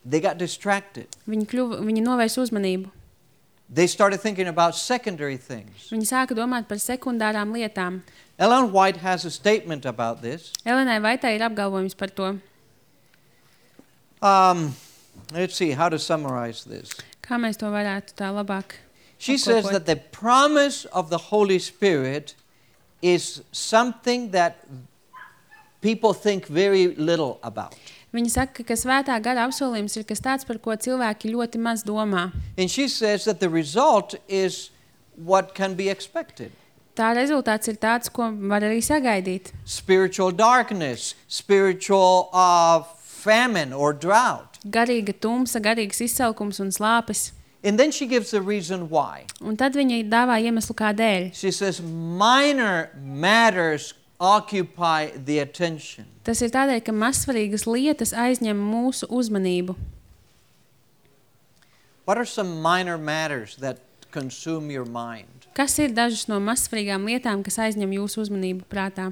They got distracted. Viņi, kļuva, viņi novērsa uzmanību. They started thinking about secondary things. Viņi sāka domāt par sekundārām lietām. Ellen White has a statement about this. Elenai Vaitai ir apgalvojums par to. Um, let's see how to summarize this. Kā mēs to varētu tā labāk She says apkopot? that the promise of the Holy Spirit is something that people think very little about. Viņa saka, ka svētā gara apsolījums ir kas tāds, par ko cilvēki ļoti maz domā. And she says that the result is what can be expected. Tā rezultāts ir tāds, ko var arī sagaidīt. Spiritual darkness, spiritual uh, famine or drought. Garīga tumsa, garīgs izsalkums un slāpes. And then she gives the reason why. Un tad viņa dāvā iemeslu kādēļ. She says minor matters occupy the attention. Tas ir tādēļ, ka mazsvarīgas lietas aizņem mūsu uzmanību. What are some minor matters that consume your mind? Kas ir dažas no mazsvarīgām lietām, kas aizņem jūsu uzmanību prātā?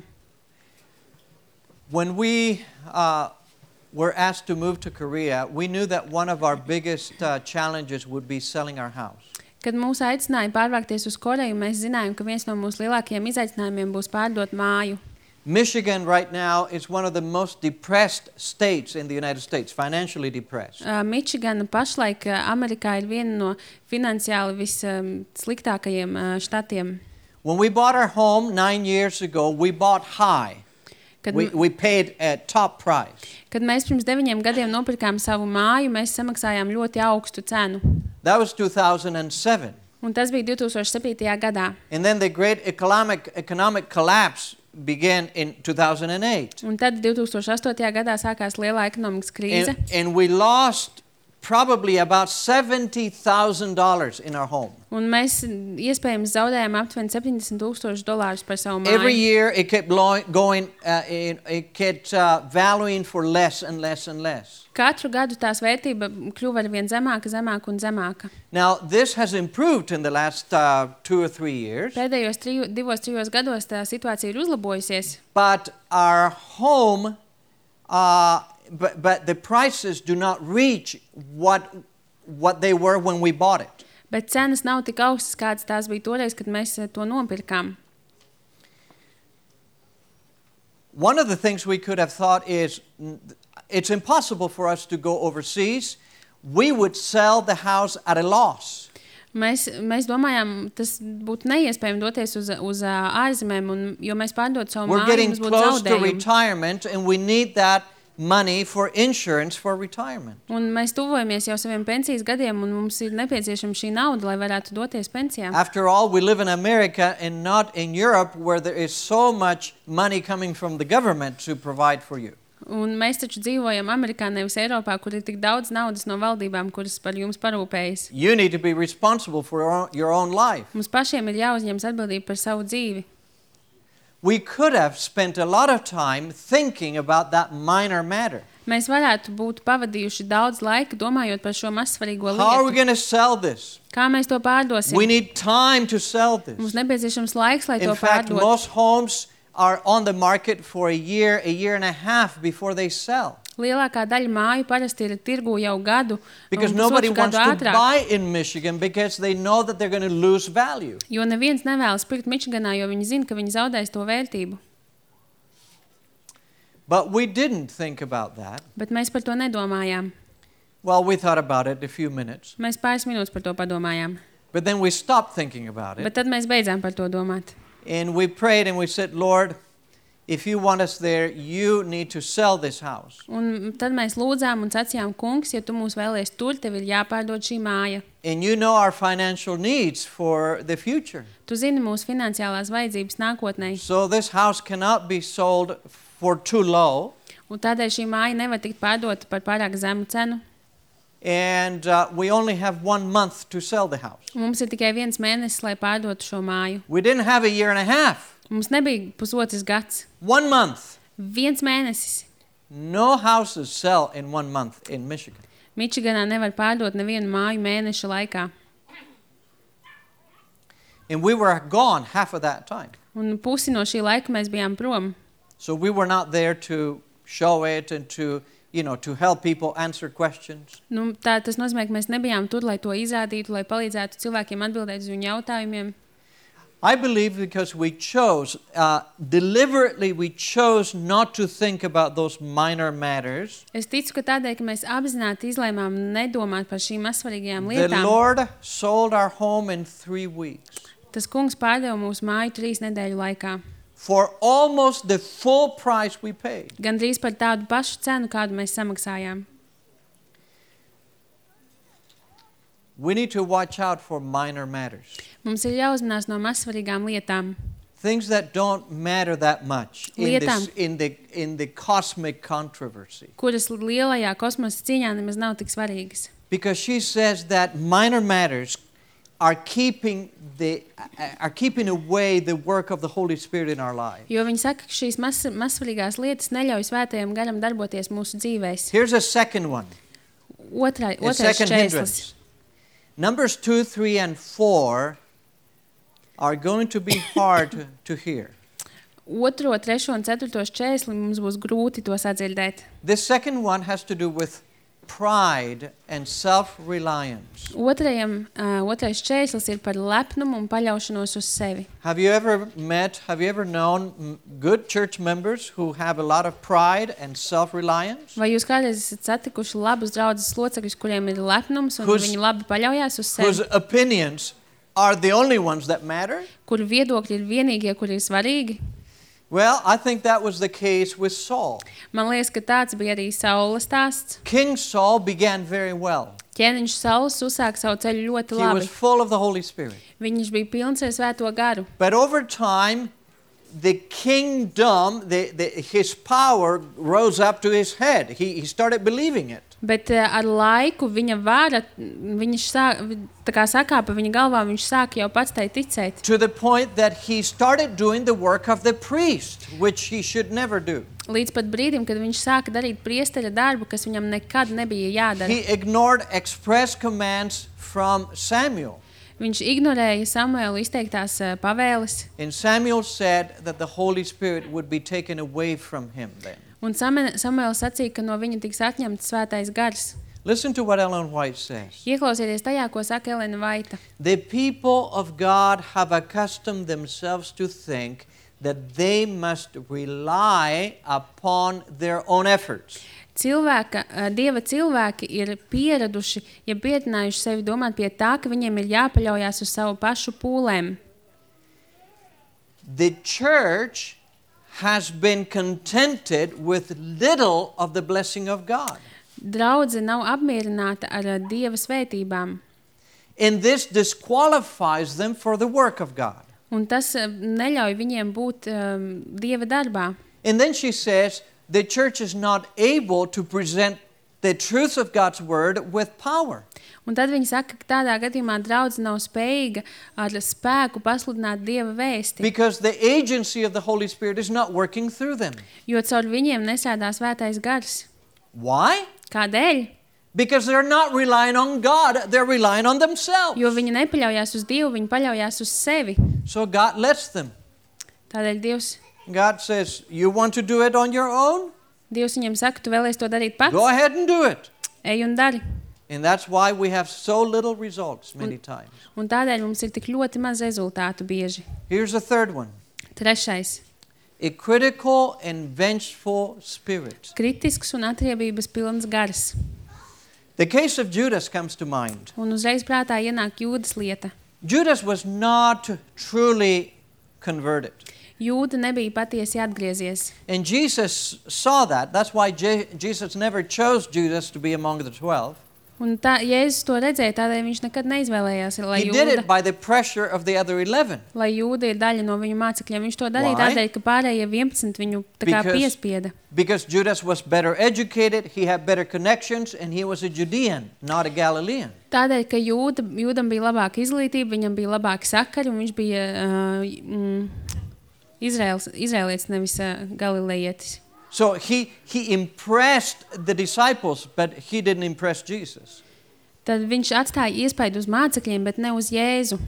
When we uh, were asked to move to Korea, we knew that one of our biggest uh, challenges would be selling our house. Kad mūs aicināja pārvākties uz Koreju, mēs zinājām, ka viens no mūsu lielākajiem izaicinājumiem būs pārdot māju. Michigan right now is one of the most depressed states in the United States, financially depressed. Uh, Mičigana pašlaik uh, Amerikā ir viena no finansiāli vissliktākajiem uh, štatiem. When we bought our home nine years ago, we bought high. Kad, We, we paid a top price. kad mēs pirms deviņiem gadiem nopirkām savu māju, mēs samaksājām ļoti augstu cenu. That was two thousand seven. Un tas bija divtūkstoš septītajā gadā. And then the great economic, economic collapse began in two thousand eight. Un tad divtūkstoš astotajā gadā sākās lielā ekonomikas krīze. And, and we lost probably about seventy thousand dollars in our home. Un mēs iespējams zaudējām aptuveni septiņdesmit tūkstoši dolārus par savu Every māju. year it kept lo- going, uh, it, it kept uh, valuing for less and less and less. Katru gadu tās vērtība kļuva ar vien zemāka, zemāka un zemāka. Now, this has improved in the last uh, two or three years, Pēdējos triju, divos, trijos gados tā situācija ir uzlabojusies, but our home, uh, but, but the prices do not reach what, what they were when we bought it. bet cenas nav tik augstas, kādas tās bija toreiz, kad mēs to nopirkām. One of the things we could have thought is mm, it's impossible for us to go overseas. We would sell the house at a loss. Mēs, mēs domājām, tas būtu neiespējami doties uz, uz ā, ārzemēm, un, jo mēs pārdot savu We're māju, getting mums būtu close to zaudējumi. retirement, and we need that money for insurance for retirement. Un mēs tuvojamies jau saviem pensijas gadiem, un mums ir nepieciešama šī nauda, lai varētu doties pensijā. After all, we live in America and not in Europe, where there is so much money coming from the government to provide for you. Un mēs taču dzīvojam Amerikā, nevis Eiropā, kur ir tik daudz naudas no valdībām, kuras par jums parūpējas. You need to be responsible for your own, your own life. Mums pašiem ir jāuzņemas atbildība par savu dzīvi. We could have spent a lot of time thinking about that minor matter. Mēs varētu būt pavadījuši daudz laika domājot par šo mazsvarīgo How are we lietu. going to sell this? Kā mēs to pārdosim? We need time to sell Mums this. nepieciešams laiks, lai to In fact, pārdotu. most homes are on the market for a year, a year and a half before they sell. Lielākā daļa māju parasti ir tirgu jau gadu, Because un nobody pusotru wants gadu to ātrāk. buy in Michigan because they know that they're going to lose value. Jo neviens nevēlas pirkt Mičiganā, jo viņi zina, ka viņi zaudēs to vērtību. But we didn't think about that. Bet mēs par to nedomājām. Well, we thought about it a few minutes, Mēs pāris minūtes par to padomājām. but then we stopped thinking about it. Bet tad mēs beidzām par to domāt. And we prayed and we said, Lord, if you want us there, you need to sell this house. Un tad mēs lūdzām un sacījām, kungs, ja tu mūs vēlies tur, tev ir jāpārdod šī māja. And you know our financial needs for the future. Tu zini mūsu finansiālās vajadzības nākotnē. So this house cannot be sold for too low. Un tādēļ šī māja nevar tikt pārdota par pārāk zemu cenu. And uh, we only have one month to sell the house. Un mums ir tikai viens mēnesis, lai pārdotu šo māju. We didn't have a year and a half. Mums nebija pusotrs gads. One month. Viens mēnesis. No houses sell in one month in Michigan. Mičiganā nevar pārdot nevienu māju mēneša laikā. And we were gone half of that time. Un pusi no šī laika mēs bijām prom. So we were not there to show it and to, you know, to help people answer questions. Nu, tā, tas nozīmē, ka mēs nebijām tur, lai to izrādītu, lai palīdzētu cilvēkiem atbildēt uz viņu jautājumiem. I believe because we chose, uh, deliberately we chose not to think about those minor matters. Es ticu, ka tādēļ, ka mēs apzināti izlēmām nedomāt par šīm mazsvarīgajām The lietām, Lord sold our home in three weeks tas kungs pārdeva mūsu māju trīs nedēļu laikā. for almost the full price we paid. Gandrīz par tādu pašu cenu, kādu mēs samaksājām. We need to watch out for minor matters. Mums ir jāuzmanās no mazsvarīgām lietām. Things that don't matter that much in, Lietām. this, in, the, in the cosmic controversy. Kuras lielajā kosmosa cīņā nemaz nav tik svarīgas. Because she says that minor matters are keeping, the, are keeping away the work of the Holy Spirit in our lives. Jo viņi saka, ka šīs maz, mazsvarīgās lietas neļauj svētajam garam darboties mūsu dzīvēs. Here's a second one. Otrai, A otrais second šķērslis. hindrance. Numbers two, three, and four are going to be hard to, to hear. Otro, trešo un ceturto šķērsli mums būs grūti to sadzirdēt. This second one has to do with pride and self-reliance. Otrajam, uh, otrais šķērslis ir par lepnumu un paļaušanos uz sevi. Have you ever met, have you ever known mm, good church members who have a lot of pride and self-reliance? Vai jūs kādreiz esat satikuši labus draudzes locekļus, kuriem ir lepnums un Whose- viņi labi paļaujās uz Whose sevi? opinions are the only ones that matter? Kuru viedokļi ir vienīgie, kuri ir svarīgi? Well, I think that was the case with Saul. Man liekas, ka tāds bija arī Saules stāsts. King Saul began very well. Ķēniņš Sauls uzsāka savu ceļu ļoti He was labi. full of the Holy Spirit. Viņš bija pilns ar svēto garu. But over time, the kingdom, the, the, his power rose up to his head. He, he started believing it. Bet uh, ar laiku viņa vara, viņš sāk, tā kā sakāpa viņa galvā, viņš sāka jau pats tai ticēt. To the point that he started doing the work of the priest, which he should never do. Līdz pat brīdim, kad viņš sāka darīt priesteļa darbu, kas viņam nekad nebija jādara. He ignored express commands from Samuel. Viņš ignorēja Samuela izteiktās uh, pavēles, And Samuel said that the Holy Spirit would be taken away from him then. un Samuel- Samuels sacīja, ka no viņa tiks atņemts svētais gars. Listen to what Ellen White says. Ieklausieties tajā, ko saka Elena Vaita. The people of God have accustomed themselves to think that they must rely upon their own efforts. Cilvēka, uh, Dieva cilvēki ir pieraduši, ja pietinājuši sevi domāt pie tā, ka viņiem ir jāpaļaujās uz savu pašu pūlēm. The church has been contented with little of the blessing of God. Draudze nav apmierināta ar uh, Dieva svētībām, And this disqualifies them for the work of God. un tas uh, neļauj viņiem būt um, Dieva darbā. And then she says the church is not able to present the truth of God's word with power. Un tad viņi saka, ka tādā gadījumā draudze nav spējīga ar spēku pasludināt Dieva vēsti, Because the agency of the Holy Spirit is not working through them. jo caur viņiem nesēdā svētais gars. Why? Kādēļ? Because they're not relying on God, they're relying on themselves. Jo viņi nepaļaujās uz Dievu, viņi paļaujās uz sevi. So God lets them. Tādēļ Dievs, God says, you want to do it on your own? Dievs viņam saka, tu vēlies to darīt pats? Go ahead and do it. Ej un dari. And that's why we have so little results many times. Un tādēļ mums ir tik ļoti maz rezultātu bieži. Here's the third one. Trešais. A critical and vengeful spirit. Kritisks un atriebības pilns gars. The case of Judas comes to mind. Un uzreiz prātā ienāk Jūdas lieta. Judas was not truly converted. Jūda nebija patiesi atgriezies. And Jesus saw that. That's why Je- Jesus never chose Judas to be among the twelve. Un tā, Jēzus to redzēja, tādēļ viņš nekad neizvēlējās, lai He did Jūda, it by the pressure of the other eleven. lai Jūda ir daļa no viņu mācekļiem. Viņš to darīja Why? tādēļ, ka pārējie vienpadsmit viņu tā kā Because- piespieda. Because Judas was better educated, he had better connections, and he was a Judean, not a Galilean. Tādēļ, ka Jūda, Jūdam bija labāka izglītība, viņam bija labāki sakari, un viņš bija uh, mm, Izraels, Izraelietis, nevis uh, Galilejietis. So he, he impressed the disciples, but he didn't impress Jesus. Tad viņš atstāja iespaidu uz mācekļiem, bet ne uz Jēzu.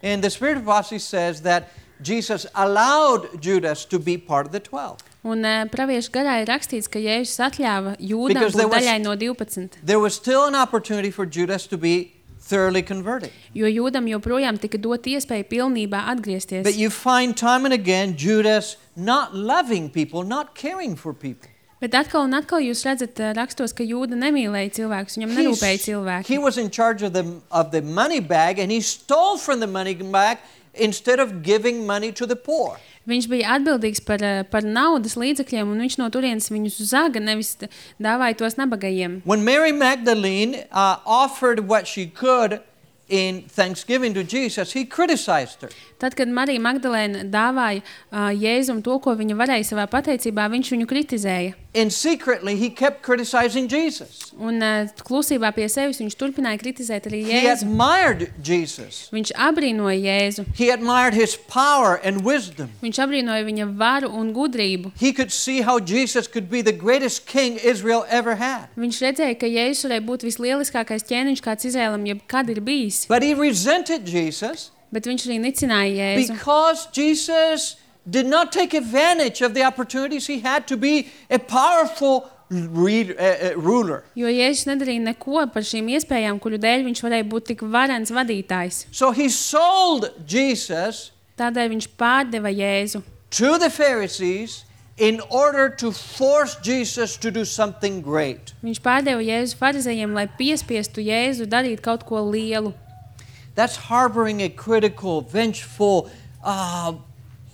And the Spirit of prophecy says that Jesus allowed Judas to be part of the twelve. Un uh, praviešu garā ir rakstīts, ka Jēzus atļāva Jūdam Because there būt was- daļai no divpadsmit. There was still an opportunity for Judas to be thoroughly converted. Jo Jūdam joprojām tika dot iespēja pilnībā atgriezties. But you find time and again Judas not loving people, not caring for people. Bet atkal un atkal jūs redzat uh, rakstos, ka Jūda nemīlēja cilvēkus, viņam He's- nerūpēja he cilvēki. was in charge of the, of the money bag, and he stole from the money bag instead of giving money to the poor. Viņš bija atbildīgs par, uh, par naudas līdzekļiem, un viņš no turienes viņus zaga, nevis t- dāvāja tos nabagajiem. When Mary Magdalene uh, offered what she could in thanksgiving to Jesus, he criticized her. Tad, kad Marija Magdalēna dāvāja uh, Jēzum to, ko viņa varēja savā pateicībā, viņš viņu kritizēja. And secretly, he kept criticizing Jesus. Un uh, klusībā pie sevis viņš turpināja kritizēt arī He Jēzu. admired Jesus. Viņš abrīnoja Jēzu. He admired his power and wisdom. Viņš abrīnoja viņa varu un gudrību. He could see how Jesus could be the greatest king Israel ever had. Viņš redzēja, ka Jēzus varēja būt vislieliskākais ķēniņš, kāds Izrēlam jebkad ir bijis. But he resented Jesus Bet viņš arī nicināja Jēzu. because Jesus did not take advantage of the opportunities he had to be a powerful read, uh, uh, ruler. Jo Jēzus nedarīja neko par šīm iespējām, kuru dēļ viņš varēja būt tik varens vadītājs. So he sold Jesus Tādēļ viņš pārdeva Jēzu to the Pharisees in order to force Jesus to do something great. Viņš pārdeva Jēzu farizējiem, lai piespiestu Jēzu darīt kaut ko lielu. That's harboring a critical, vengeful, uh,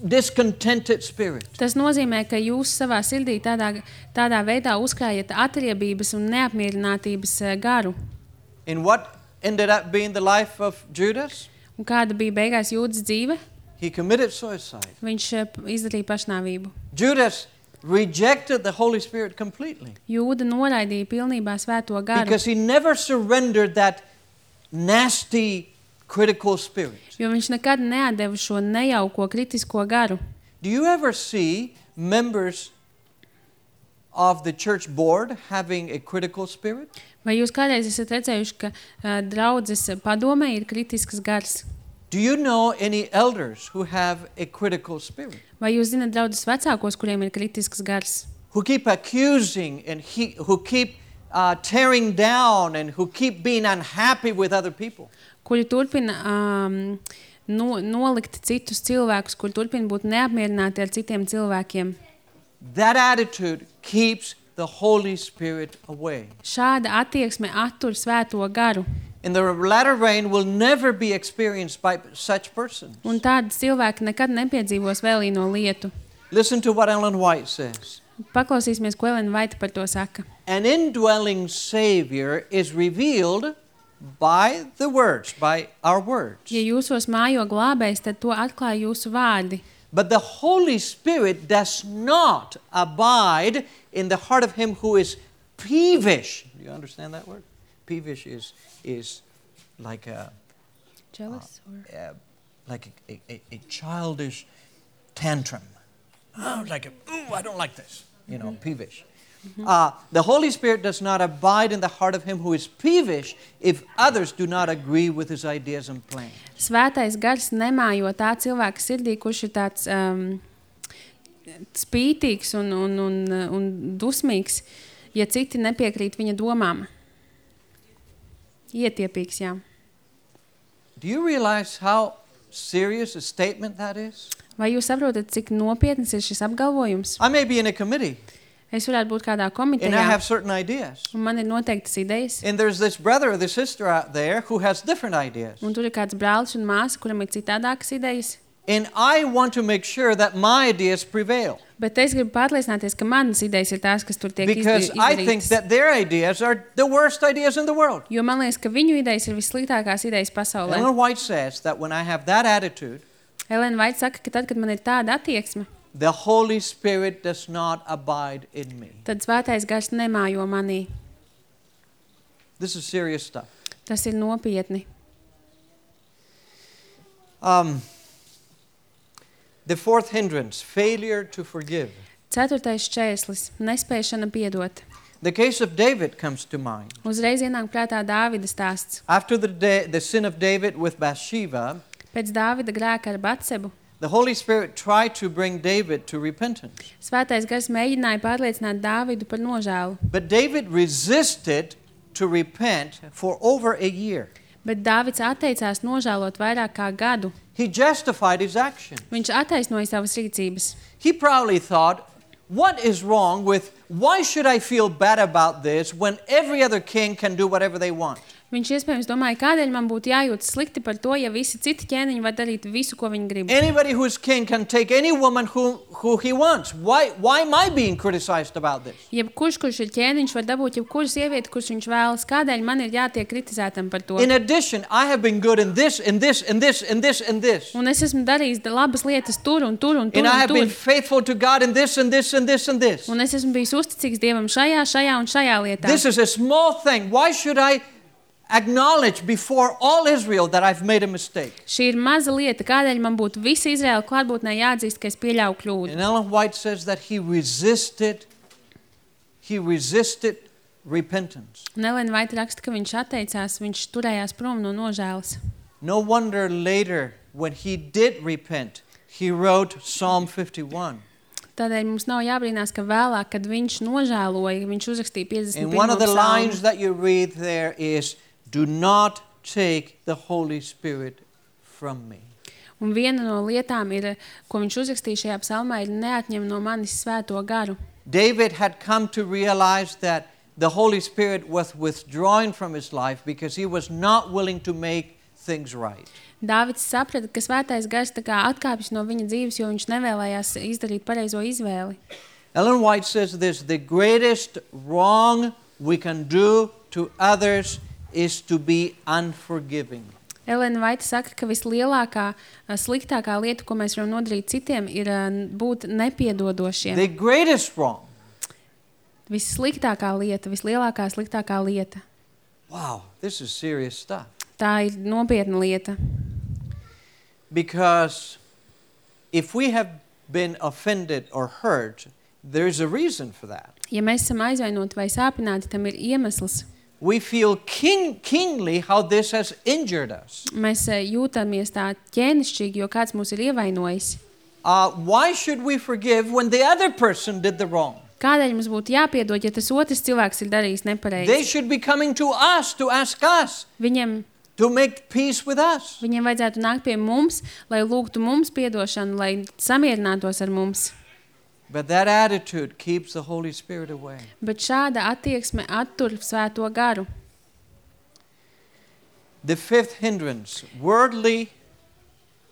discontented spirit. Tas nozīmē, ka jūs savā sirdī tādā, tādā veidā uzkrājat atriebības un neapmierinātības eh, garu. And what ended up being the life of Judas? Un kāda bija beigās Jūdas dzīve? He committed suicide. Viņš eh, izdarīja pašnāvību. Judas rejected the Holy Spirit completely Jūda noraidīja pilnībā svēto garu, because he never surrendered that nasty, critical spirit. jo viņš nekad neatdeva šo nejauko kritisko garu. Do you ever see members of the church board having a critical spirit? Vai jūs kādreiz esat redzējuši, ka uh, draudzes padomē ir kritisks gars? Do you know any elders who have a critical spirit? Vai jūs zināt draudzes vecākos, kuriem ir kritisks gars? Who keep accusing and he, who keep uh, tearing down and who keep being unhappy with other people? Kuri turpina um, no, nolikt citus cilvēkus, kuri turpina būt neapmierināti ar citiem cilvēkiem. That attitude keeps the Holy Spirit away. Šāda attieksme attur svēto garu. And the latter rain will never be experienced by such persons. Un tādi cilvēki nekad nepiedzīvos vēlīno lietu. Listen to what Ellen White says. Paklausīsimies, ko Elena Vaita par to saka. An indwelling Savior is revealed by the words, by our words. Ja jūsos mājo glābējs, tad to atklāja jūsu vārdi. But the Holy Spirit does not abide in the heart of him who is peevish. Do you understand that word? Peevish is is like a Jealous or... uh, like a, a, a childish tantrum. Oh, like a, ooh, I don't like this. you know, peevish. Uh, the Holy Spirit does not abide in the heart of him who is peevish if others do not agree with his ideas and plans. Svētais gars nemājo tā cilvēka sirdī, kurš ir tāds um, spītīgs un, un, un, un dusmīgs, ja citi nepiekrīt viņa domām. Ietiepīgs, jā. Do you realize how serious a statement that is? Vai jūs saprotat, cik nopietnas ir šis apgalvojums? I may be in a committee. Es varētu būt kādā And I komitejā, have certain ideas. un man ir noteiktas idejas. And there's this brother or this sister out there who has different ideas. Un tur ir kāds brālis un māsa, kuram ir citādākas idejas. And I want to make sure that my ideas prevail. Bet es gribu pārliecināties, ka manas idejas ir tās, kas tur tiek Because I think izdarītas. that their ideas are the worst ideas in the world. Jo man liekas, ka viņu idejas ir vissliktākās idejas pasaulē. Ellen White says that when I have that attitude, Elena Vaita saka, ka tad, kad man ir tāda attieksme, the Holy Spirit does not abide in me. tad svētais gars nemājo manī. This is serious stuff. Tas ir nopietni. Um, the fourth hindrance, failure to forgive. Ceturtais šķērslis – nespēšana piedot. The case of David comes to mind. Uzreiz ienāk prātā Dāvida stāsts. After the, da- the sin of David with Bathsheba, Pēc Dāvida grēka ar Batsebu, the Holy Spirit tried to bring David to repentance. svētais gars mēģināja pārliecināt Dāvidu par nožēlu. But David resisted to repent for over a year. Bet Dāvids atteicās nožēlot vairāk kā gadu. He justified his action. Viņš attaisnoja savas rīcības. He probably thought, what is wrong with, why should I feel bad about this when every other king can do whatever they want? Viņš iespējams domāja, kādēļ man būtu jājūtas slikti par to, ja visi citi ķēniņi var darīt visu, ko viņi grib. Anybody who is king can take any woman who, who he wants. Why, why am I being criticized about this? Jebkurš, kurš ir ķēniņš, var dabūt jebkuru sievieti, kurš viņš vēlas. Kādēļ man ir jātiek kritizētam par to? In addition, I have been good in this, in this, in this, in this, and this. Un es esmu darījis labas lietas tur un tur un tur And I un have been tur. faithful to God in this, and this, and this, and this. Un es esmu bijis uzticīgs Dievam šajā, šajā un šajā lietā. This is a small thing. Why should I acknowledge before all Israel that I've made a mistake? Šī ir maza lieta, kādēļ man būtu visa Izraela klātbūtnē jāatzīst, ka es pieļauju kļūdu. And Ellen White says that he resisted, he resisted repentance. Un Elena Vaita raksta, ka viņš atteicās, viņš turējās prom no nožēlas. No wonder later, when he did repent, he wrote Psalm fifty-one. Tādēļ mums nav jābrīnās, ka vēlāk, kad viņš nožēloja, viņš uzrakstīja piecdesmit And pirmo one of the lines psalmu. that you read there is, do not take the Holy Spirit from me. Un viena no lietām, ir, ko viņš uzrakstīja šajā psalmā, ir neatņem no manis svēto garu. David had come to realize that the Holy Spirit was withdrawing from his life because he was not willing to make things right. Dāvids saprata, ka svētais gars tā kā atkāpjas no viņa dzīves, jo viņš nevēlējās izdarīt pareizo izvēli. Ellen White says this, the greatest wrong we can do to others is to be unforgiving. Elena Vaita saka, ka vislielākā, sliktākā lieta, ko mēs varam nodarīt citiem, ir būt nepiedodošiem. The greatest wrong. Vissliktākā lieta, vislielākā sliktākā lieta. Wow, this is serious stuff. Tā ir nopietna lieta. Because if we have been offended or hurt, there's a reason for that. Ja mēs esam aizvainoti vai sāpināti, tam ir iemesls. We feel king, keenly how this has injured us. Mēs eh, jūtamies tā ķēnišķīgi, jo kāds mūs ir ievainojis. Uh, why should we forgive when the other person did the wrong? Kādēļ mums būtu jāpiedod, ja tas otrs cilvēks ir darījis They nepareizi? should be coming to us to ask us Viņiem, to make peace with us. viņiem vajadzētu nākt pie mums, lai lūgtu mums piedošanu, lai samierinātos ar mums. But that attitude keeps the Holy Spirit away. Bet šāda attieksme attur svēto garu. The fifth hindrance, worldly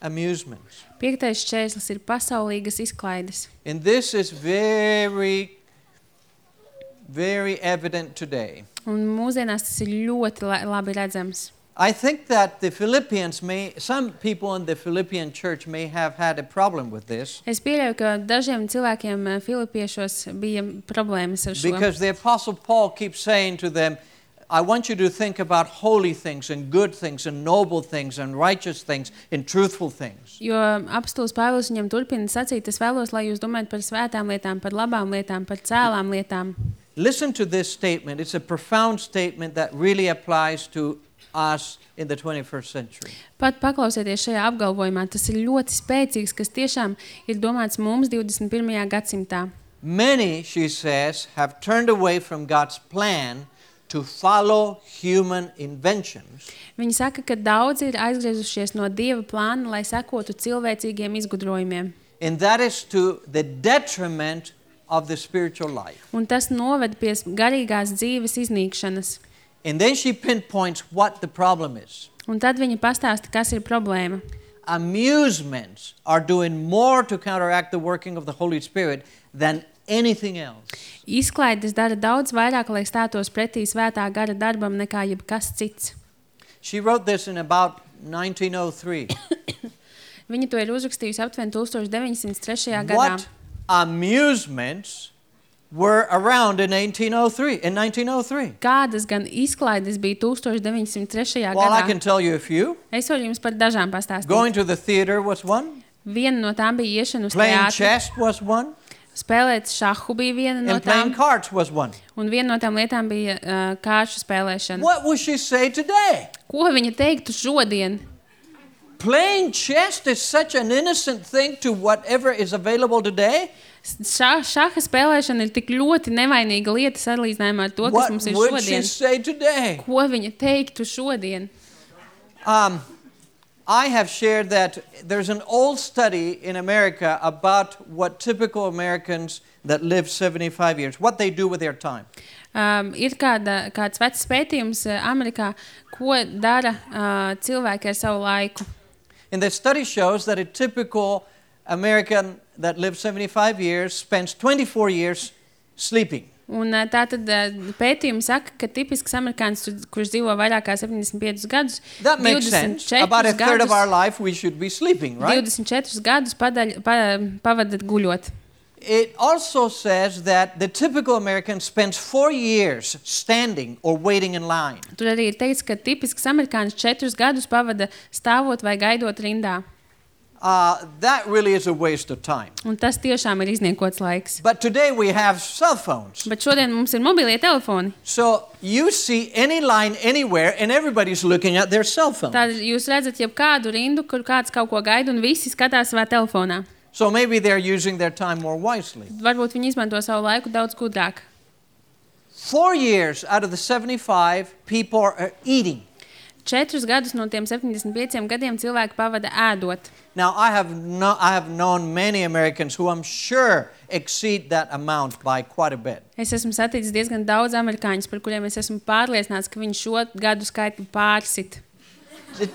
amusements. Piektais šķērslis ir pasaulīgas izklaides. And this is very, very evident today. Un mūsdienās tas ir ļoti la- labi redzams. I think that the Philippians may, some people in the Philippian church may have had a problem with this Es pieļauju, ka dažiem cilvēkiem eh, Filipiešos bija problēmas ar šo. because the Apostle Paul keeps saying to them, I want you to think about holy things and good things and noble things and righteous things and truthful things. Jo apostols Pāvils viņam turpina sacīt, es vēlos, lai jūs domājat par svētām lietām, par labām lietām, par cēlām lietām. Listen to this statement. It's a profound statement that really applies to us in the twenty-first century. Pat paklausieties šajā apgalvojumā, tas ir ļoti spēcīgs, kas tiešām ir domāts mums divdesmit pirmajā gadsimtā. Many, she says, have turned away from God's plan to follow human inventions. Viņa saka, ka daudzi ir aizgriezušies no Dieva plāna, lai sekotu cilvēcīgiem izgudrojumiem. And that is to the detriment of the spiritual life. Un tas noved pie garīgās dzīves iznīkšanas. And then she pinpoints what the problem is. Un tad viņa pastāsta, kas ir problēma. Amusements are doing more to counteract the working of the Holy Spirit than anything else. Izklaides dara daudz vairāk, lai stātos pretī svētā gara darbam nekā jebkas cits. She wrote this in about nineteen oh three. Viņa to ir uzrakstījusi aptuveni tūkstoš deviņsimt trešajā gadā. What amusements were around in eighteen oh three, in nineteen oh three? Kādas gan izklaides bija tūkstoš deviņsimt trešajā Well, I gadā? can tell you a few. Es varu jums par dažām pastāstīt. Going to the theater was one. Viena no tām bija iešana uz Playing teātri. chess was one. Spēlēt šahu bija viena no And playing tām. cards was one. Un viena no tām lietām bija uh, kāršu spēlēšana. What would she say today? Ko viņa teiktu šodien? Playing chess is such an innocent thing to whatever is available today. Šā, šaha spēlēšana ir tik ļoti nevainīga lieta salīdzinājumā ar to, kas What mums ir would she šodien. say today? Ko viņa teiktu šodien? Um, I have shared that there's an old study in America about what typical Americans that live seventy-five years, what they do with their time. Um, ir kāda, kāds vecs pētījums uh, Amerikā, ko dara uh, cilvēki ar savu laiku. And the study shows that a typical American that lives seventy-five years spends twenty-four years sleeping. Un uh, tātad uh, pētījumi saka, ka tipisks amerikānis, kurš dzīvo vairāk kā septiņdesmit piecus gadus, That makes sense. About a third of our life we should be sleeping, right? divdesmit četrus gadus padaļ, pa, pavada guļot. It also says that the typical American spends four years standing or waiting in line. Tur arī ir teikts, ka tipisks amerikānis četrus gadus pavada stāvot vai gaidot rindā. Uh, that really is a waste of time. Un tas tiešām ir izniekots laiks. But today we have cell phones. Bet šodien mums ir mobilie telefoni. So you see any line anywhere and everybody's looking at their cell phone. Tad jūs redzat jebkādu rindu, kur kāds kaut ko gaida un visi skatās savā telefonā. So maybe they're using their time more wisely. Varbūt viņi izmanto savu laiku daudz gudrāk. Four years out of the seventy-five, people are eating. Četrus gadus no tiem septiņdesmit pieciem gadiem cilvēki pavada ēdot. Now, I have, no, I have known many Americans who I'm sure exceed that amount by quite a bit. Es esmu saticis diezgan daudz amerikāņus, par kuriem es esmu pārliecināts, ka viņi šo gadu skaitu pārsit. The,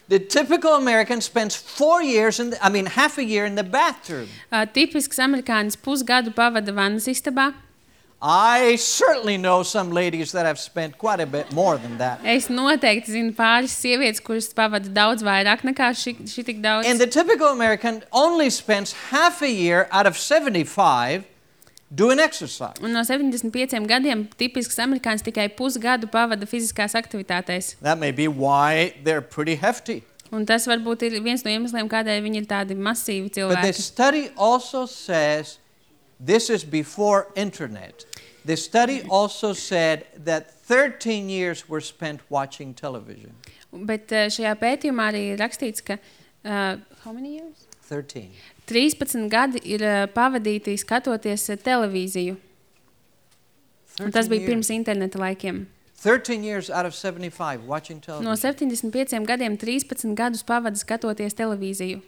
the typical American spends four years, in the, I mean half a year in the bathroom. Uh, tipisks amerikānis pusgadu pavada vannas istabā. I certainly know some ladies that have spent quite a bit more than that. Es noteikti zinu pāris sievietes, kuras pavada daudz vairāk nekā ši, ši tik daudz. And the typical American only spends half a year out of seventy-five doing exercise. Un no septiņdesmit pieciem gadiem tipisks amerikānis tikai pusgadu pavada fiziskās aktivitātēs. That may be why they're pretty hefty. Un tas varbūt ir viens no iemesliem, kādēļ viņi ir tādi masīvi But the cilvēki. study also says, this is before internet. The study also said that thirteen years were spent watching television. Bet uh, šajā pētījumā arī ir rakstīts, ka uh, how many years? thirteen. trīspadsmit gadi ir uh, pavadīti skatoties uh, televīziju. Un tas bija pirms interneta laikiem. thirteen years out of seventy-five watching television. No septiņdesmit pieciem gadiem trīspadsmit gadus pavada skatoties televīziju.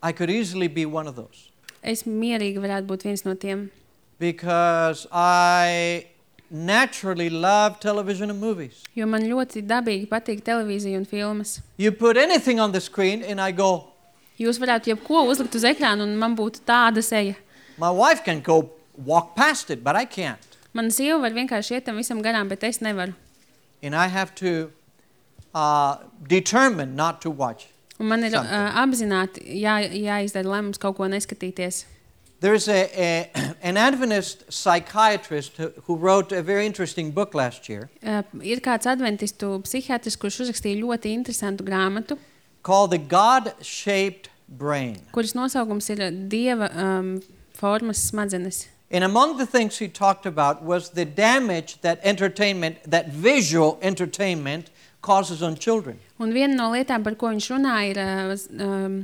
I could easily be one of those. Es mierīgi varētu būt viens no tiem. Because I naturally love television and movies. Jo man ļoti dabīgi patīk televīzija un filmas. You put anything on the screen and I go, Jūs varētu jebko uzlikt uz ekrānu un man būtu tāda seja. my wife can go walk past it, but I can't. Mana sieva var vienkārši iet tam visam garām, bet es nevaru. And I have to uh, determine not to watch. Un man ir Something. uh, apzināti jā, jāizdara lēmums kaut ko neskatīties. There is a, a, an Adventist psychiatrist who, who wrote a very interesting book last year. Uh, ir kāds adventistu psihiatrs, kurš uzrakstīja ļoti interesantu grāmatu, called The God-Shaped Brain. kuras nosaukums ir Dieva um, formas smadzenes. And among the things he talked about was the damage that entertainment, that visual entertainment causes on children. Un viena no lietām, par ko viņš runāja, ir uh, um,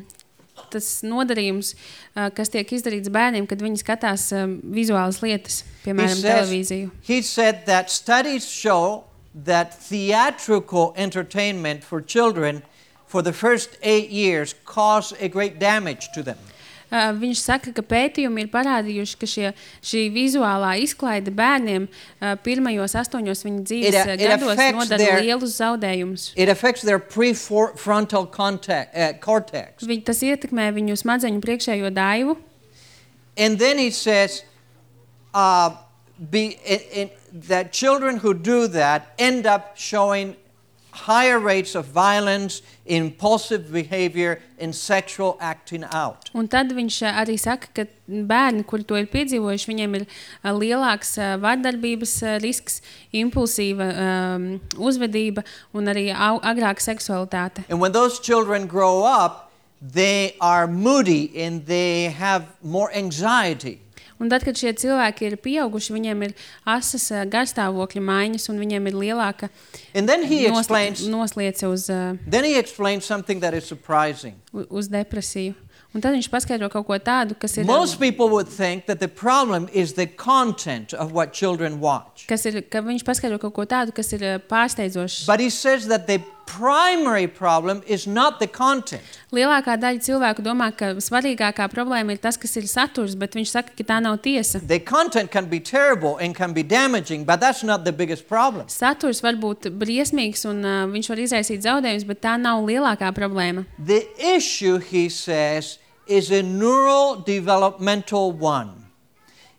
tas nodarījums, uh, kas tiek izdarīts bērniem, kad viņi skatās uh, vizuālas lietas, piemēram, He says- televīziju. He said that studies show that theatrical entertainment for children for the first eight years cause a great damage to them. Uh, viņš saka, ka pētījumi ir parādījuši, ka šie, šī vizuālā izklaide bērniem uh, pirmajos astoņos viņa dzīves It, uh, uh, it gados affects nodara their- lielus zaudējumus. It affects their prefrontal contact, uh, cortex. Viņ, tas ietekmē viņu smadzeņu priekšējo daivu. And then he says uh, be, in, in, that children who do that end up showing higher rates of violence, impulsive behavior, and sexual acting out. Un tad viņš uh, arī saka, ka bērni, kuri to ir piedzīvojuši, viņiem ir uh, lielāks uh, vardarbības uh, risks, impulsīva um, uzvedība un arī au, agrāka seksualitāte. And when those children grow up, they are moody and they have more anxiety. Un tad, kad šie cilvēki ir pieauguši, viņiem ir asas uh, garstāvokļa maiņas un viņiem ir lielāka And then he nosli explains, nosliece uz, uh, then he explains something that is surprising. u- uz depresiju. Un tad viņš paskaidro kaut ko tādu, kas ir, Most people would think that the problem is the content of what children watch. kas ir, ka viņš paskaidro kaut ko tādu, kas ir uh, pārsteidzošs. But he says that the primary problem is not the content. Lielākā daļa cilvēku domā, ka svarīgākā problēma ir tas, kas ir saturs, bet viņš saka, ka tā nav tiesa. The content can be terrible and can be damaging, but that's not the biggest problem. Saturs var būt briesmīgs un uh, viņš var izraisīt zaudējumus, bet tā nav lielākā problēma. The issue, he says, is a neural developmental one.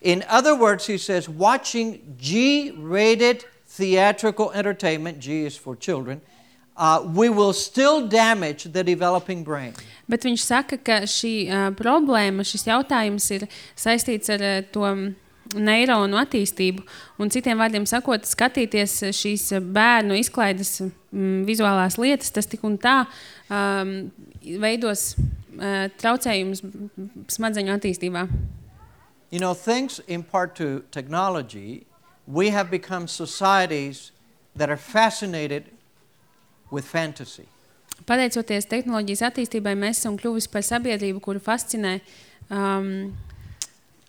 In other words, he says, watching G-rated theatrical entertainment, G is for children, uh, we will still damage the developing brain. Bet viņš saka, ka šī uh, problēma, šis jautājums ir saistīts ar uh, to neironu attīstību. Un citiem vārdiem sakot, skatīties šīs bērnu izklaides mm, vizuālās lietas, tas tik un tā um, veidos uh, traucējumus smadzeņu attīstībā. You know, thanks in part to technology, we have become societies that are fascinated with fantasy. Pateicoties tehnoloģijas attīstībai, mēs esam kļuvusi par sabiedrību, kuru fascinē um,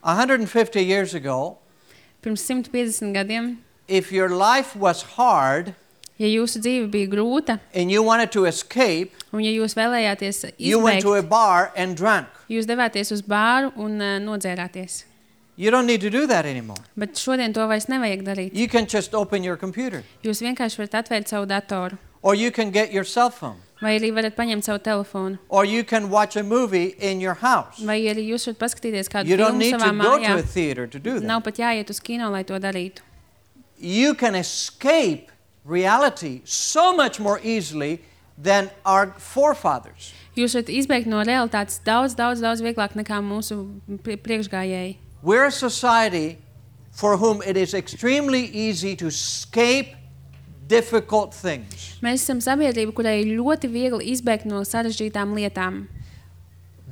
one hundred fifty years ago, pirms simt piecdesmit gadiem. if your life was hard Ja jūsu dzīve bija grūta and you wanted to escape, un ja jūs vēlējāties you went to a izbeigt, bar and drank. jūs devāties uz bāru un uh, nodzērāties. You don't need to do that anymore. Bet šodien to vairs nevajag darīt. You can just open your computer, Jūs vienkārši varat atvērt savu datoru, or you can get your cell phone, vai arī varat paņemt savu telefonu, or you can watch a movie in your house. vai arī jūs varat paskatīties kādu You don't filmu need savā to go mājā. to a theater to do Nav that. pat jāiet uz kino, lai to darītu. You can escape reality so much more easily than our forefathers. Jūs varat izbēgt no realitātes daudz, daudz, daudz vieglāk nekā mūsu pri- priekšgājēji. We're a society for whom it is extremely easy to escape difficult things. Mēs esam sabiedrība, kurai ir ļoti viegli izbēgt no sarežģītām lietām.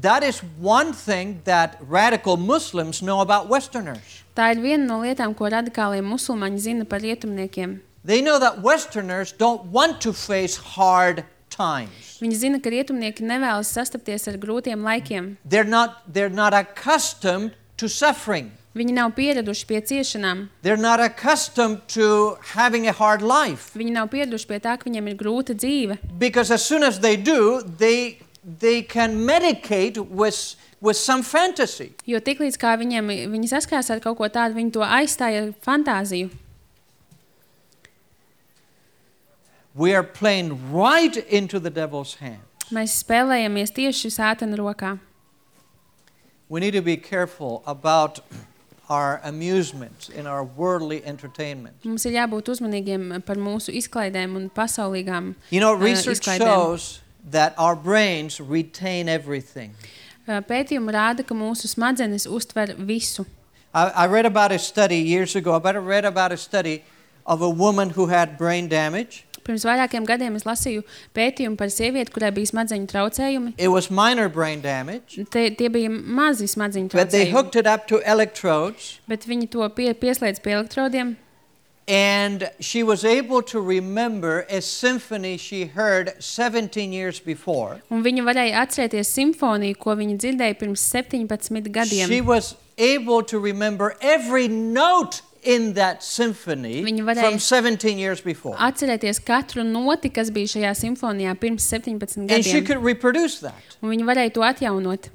That is one thing that radical Muslims know about Westerners. Tā ir viena no lietām, ko radikālie musulmaņi zina par rietumniekiem. They know that Westerners don't want to face hard times. Viņi zina, ka rietumnieki nevēlas sastapties ar grūtiem laikiem. They're not, they're not accustomed to suffering. Viņi nav pieraduši pie ciešanām. They're not accustomed to having a hard life. Viņi nav pieraduši pie tā, ka viņiem ir grūta dzīve. Because as soon as they do, they, they can medicate with, with some fantasy. Jo tiklīdz kā viņiem, viņi saskars ar kaut ko tādu, viņi to aizstāja ar fantāziju. We are playing right into the devil's hands. Mēs spēlējamies tieši sātana rokā. We need to be careful about our amusements and our worldly entertainment. Mums ir jābūt uzmanīgiem par mūsu izklaidēm un pasaulīgām You know, uh, research izklaidēm. shows that our brains retain everything. Uh, Pētījumi rāda, ka mūsu smadzenes uztver visu. I, I read about a study years ago. I read about a study of a woman who had brain damage. Pirms vairākiem gadiem es lasīju pētījumu par sievieti, kurai bija smadzeņu traucējumi. It was minor brain damage. Te, tie bija mazi smadzeņu But they traucējumi. hooked it up to electrodes. Bet viņi to pie, pieslēdz pie elektrodiem. And she was able to remember a symphony she heard seventeen years before. Un viņa varēja atcerēties simfoniju, ko viņa dzirdēja pirms septiņpadsmit gadiem. She was able to remember every note in that symphony Viņa varēja from seventeen years before. Atcerēties katru noti, kas bija šajā simfonijā pirms septiņpadsmit And she gadiem. could reproduce that. Un viņa varēja to atjaunot.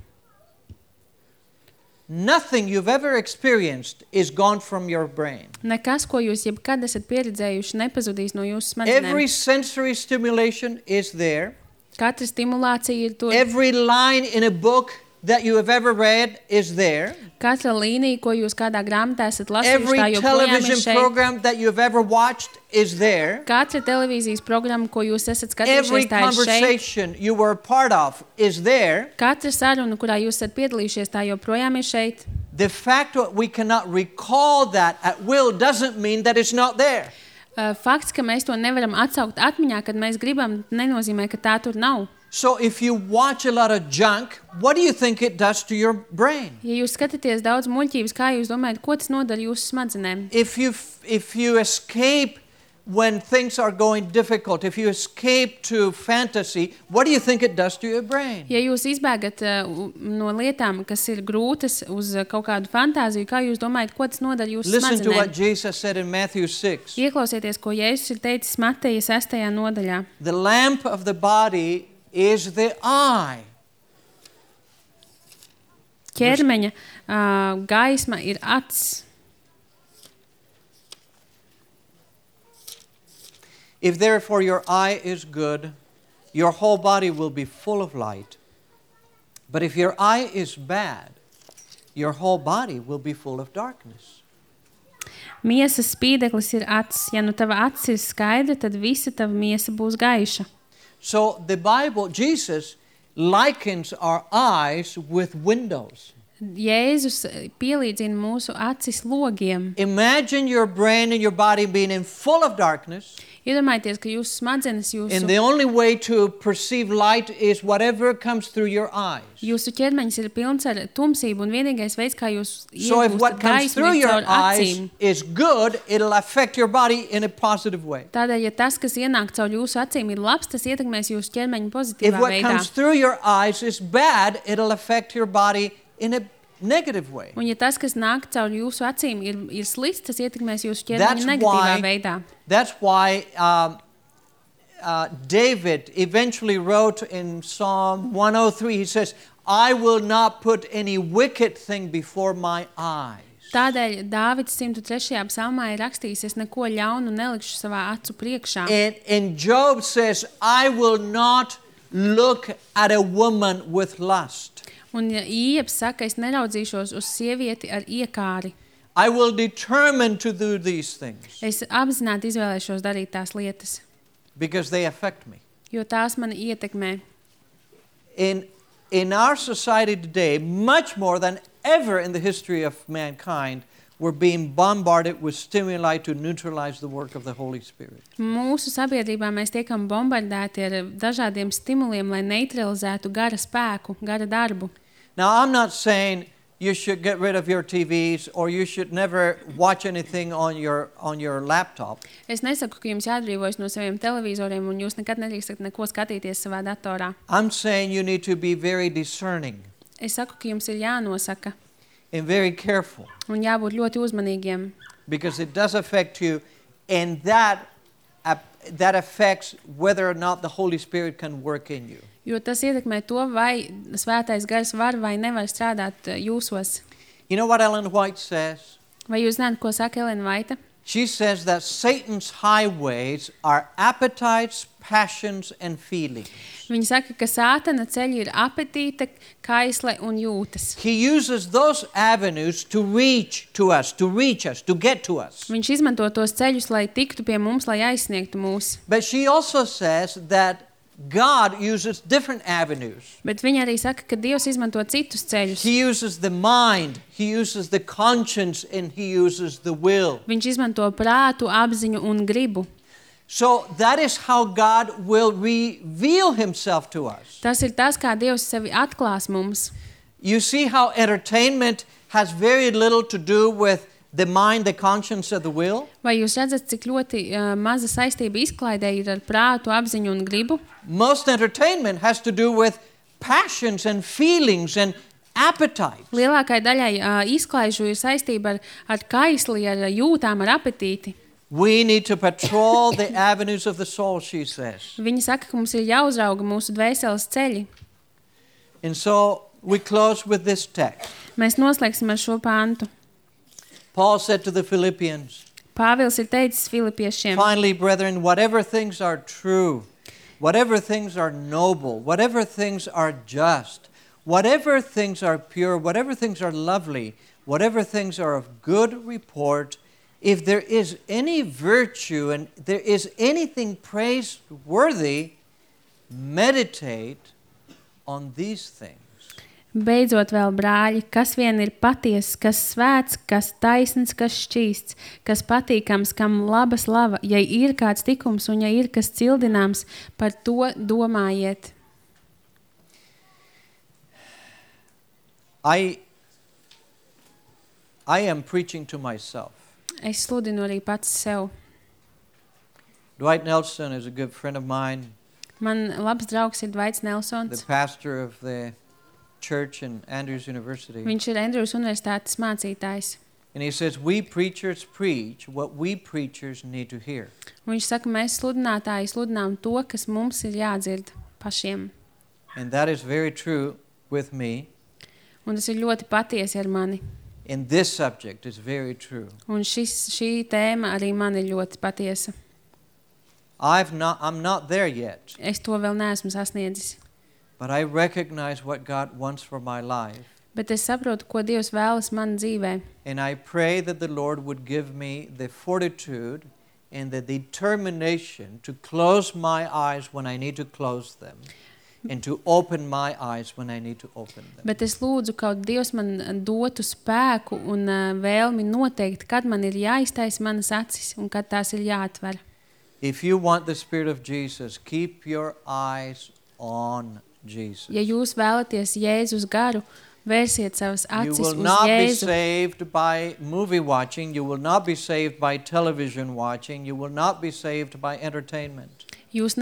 Nothing you've ever experienced is gone from your brain. Nekas, ko jūs jebkad esat pieredzējuši, nepazudīs no jūsu smadzenēm. Every sensory stimulation is there. Katra stimulācija ir tur. Every line in a book that you have ever read is there. Katra līnija, ko jūs kādā grāmatā esat lasījuši, Every tā joprojām ir television šeit. program that you've ever watched is there. Katra televīzijas programma, ko jūs esat Every skatījušies, tā ir šeit. conversation you were a part of is there. Katra saruna, kurā jūs esat piedalījušies, tā joprojām ir šeit. The fact that we cannot recall that at will doesn't mean that it's not there. Uh, Fakts, ka mēs to nevaram atsaukt atmiņā, kad mēs gribam, nenozīmē, ka tā tur nav. So if you watch a lot of junk, what do you think it does to your brain? Ja jūs skatāties daudz muļķības, kā jūs domājat, ko tas nodara jūsu smadzenēm? If you if you escape when things are going difficult, if you escape to fantasy, what do you think it does to your brain? Ja jūs izbēgat uh, no lietām, kas ir grūtas uz uh, kaut kādu fantāziju, kā jūs domājat, ko tas nodara jūsu Listen to what smadzenēm? Jesus said in Matthew six. Ieklausieties, ko Jēzus ir teicis Mateja sestajā nodaļā. The lamp of the body is the eye. Ķermeņa uh, gaisma ir acs. If therefore your eye is good, your whole body will be full of light. But if your eye is bad, your whole body will be full of darkness. Miesas spīdeklis ir acs. Ja nu tava acs ir skaidra, tad visa tava miesa būs gaiša. So the Bible, Jesus likens our eyes with windows. Jēzus pielīdzina mūsu acis logiem. Imagine your brain and your body being in full of darkness. Iedomājieties, ka jūsu smadzenes, jūsu, And the only way to perceive light is whatever comes through your eyes. jūsu ķermeņš ir pilns ar tumsību, un vienīgais veids, kā jūs So if what iegūstat comes gaismu, through ir your caur eyes acīm. is good, it'll affect your body in a positive way. Tādēļ, ja tas, kas ienāk caur jūsu acīm, ir labs, tas ietekmēs jūsu ķermeņu If pozitīvā what veidā. comes through your eyes is bad, it'll affect your body in a negative way. Un ja tas, kas nāk caur jūsu acīm, ir, ir slikts, tas ietekmēs jūsu That's ķermeņu negatīvā why, veidā. that's why um, uh, David eventually wrote in Psalm one oh three, he says, I will not put any wicked thing before my eyes. Tādēļ Dāvids simt trešajā psalmā ir rakstījis, es neko ļaunu nelikšu savā acu priekšā. And, and Job says, I will not look at a woman with lust. Un ja Iebs saka, es neraudzīšos uz sievieti ar iekāri. I will determine to do these things Es apzināti izvēlēšos darīt tās lietas, because they affect me. jo tās mani ietekmē. In, in our society today, much more than ever in the history of mankind, we're being bombarded with stimuli to neutralize the work of the Holy Spirit. Mūsu sabiedrībā mēs tiekam bombardēti ar dažādiem stimuliem, lai neutralizētu gara spēku, gara darbu. Now, I'm not saying you should get rid of your T Vs or you should never watch anything on your, on your laptop. Es nesaku, ka jums jāatbrīvojas no saviem televizoriem un jūs nekad nedrīkstat neko skatīties savā datorā. I'm saying you need to be very discerning Es saku, ka jums ir jānosaka and very careful un jābūt ļoti uzmanīgiem, because it does affect you, and that, uh, that affects whether or not the Holy Spirit can work in you. jo tas ietekmē to, vai svētais gars var vai nevar strādāt uh, jūsos. You know what Ellen White says? Vai jūs zināt, ko saka Elena Vaita? She says that Satan's highways are appetites, passions, and feelings. Viņa saka, ka sātana ceļi ir apetīte, kaisle un jūtas. He uses those avenues to reach to us, to reach us, to get to us. Viņš izmanto tos ceļus, lai tiktu pie mums, lai aizsniegtu mūs. But she also says that God uses different avenues. Bet viņa arī saka, ka Dievs izmanto citus ceļus. He uses the mind, he uses the conscience, and he uses the will. Viņš izmanto prātu, apziņu un gribu. So that is how God will reveal himself to us. Tas ir tas, kā Dievs sevi atklās mums. You see how entertainment has very little to do with the mind, the conscience, and the will? Vai jūs redzat, cik ļoti uh, maza saistība izklaidē ir ar prātu, apziņu un gribu? Most entertainment has to do with passions and feelings and appetites. Lielākai daļai uh, izklaižu ir saistība ar, ar kaisli, ar jūtām, ar apetīti. We need to patrol the avenues of the soul, she says. Viņa saka, ka mums ir jāuzrauga mūsu dvēseles ceļi. And so we close with this text. Mēs noslēgsim ar šo pāntu. Paul said to the Philippians, Pāvils ir teicis Filipiešiem: finally, brethren, whatever things are true, whatever things are noble, whatever things are just, whatever things are pure, whatever things are lovely, whatever things are of good report, if there is any virtue and there is anything praiseworthy, meditate on these things. Beidzot vēl, brāļi, kas vien ir patiess, kas svēts, kas taisns, kas šķīsts, kas patīkams, kam laba slava, ja ir kāds tikums un ja ir kas cildināms, par to domājiet. I, I am preaching to myself. Es sludinu arī pats sev. Dwight Nelson is a good friend of mine, Man labs draugs ir Dvaits the Nelsons. pastor of the church in Andrews University. Viņš ir Andrews universitātes mācītājs. And he says, we preachers preach what we preachers need to hear. Un viņš saka, mēs sludinātāji sludinām to, kas mums ir jādzird pašiem. And that is very true with me. Un tas ir ļoti patiesi ar mani. And this subject is very true. Un šis, šī tēma arī man ir ļoti patiesa. I've not, I'm not there yet, Es to vēl neesmu sasniedzis. but I recognize what God wants for my life. Bet es saprotu, ko Dievs vēlas man dzīvē. And I pray that the Lord would give me the fortitude and the determination to close my eyes when I need to close them and to open my eyes when I need to open them. Bet es lūdzu, kaut Dievs man dotu spēku un uh, vēlmi noteikt, kad man ir jāiztaisa manas acis un kad tās ir jāatver. If you want the Spirit of Jesus, keep your eyes on Jesus. Ja jūs vēlaties Jēzus garu, vērsiet savas You acis will uz not be Jēzu. saved by movie watching. You will not be saved by television watching. You will not be saved by entertainment. Jūs,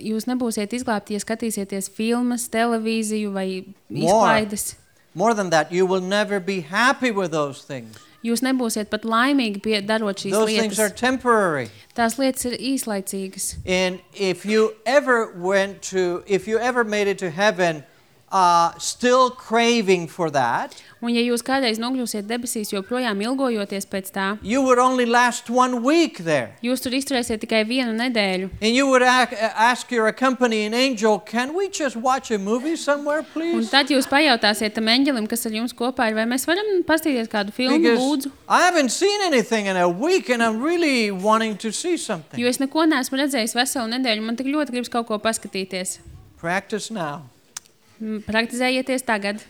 jūs nebūsiet izglābti, ja skatīsieties filmas, televīziju vai izklaides. More than that, you will never be happy with those things. Jūs nebūsiet pat laimīgi pie, darot šīs Those things are lietas. temporary. Tās lietas ir īslaicīgas. And if you ever went to, if you ever made it to heaven, uh, still craving for that, Un ja jūs kādreiz nokļūsiet debesīs, joprojām ilgojoties pēc tā, you would only last one week there. jūs tur izturēsiet tikai vienu nedēļu. And you would ac- ask your accompanying angel, can we just watch a movie somewhere, Un please? tad jūs pajautāsiet tam eņģelim, kas ar jums kopā ir, vai mēs varam paskatīties kādu filmu, Because lūdzu. I haven't seen anything in a week and I'm really wanting to see something. Jo es neko neesmu redzējis veselu nedēļu, man tik ļoti gribas kaut ko paskatīties. Practice now. M, Praktizējieties tagad.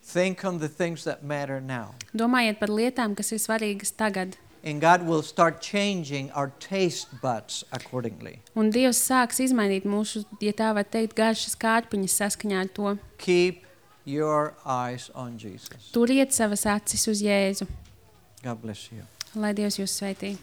Think on the things that matter now. Domājiet par lietām, kas ir svarīgas tagad. And God will start changing our taste buds accordingly. Un Dievs sāks izmainīt mūsu, ja tā var teikt, garšas kārpiņas saskaņā ar to. Keep your eyes on Jesus. Turiet savas acis uz Jēzu. God bless you. Lai Dievs jūs sveitī.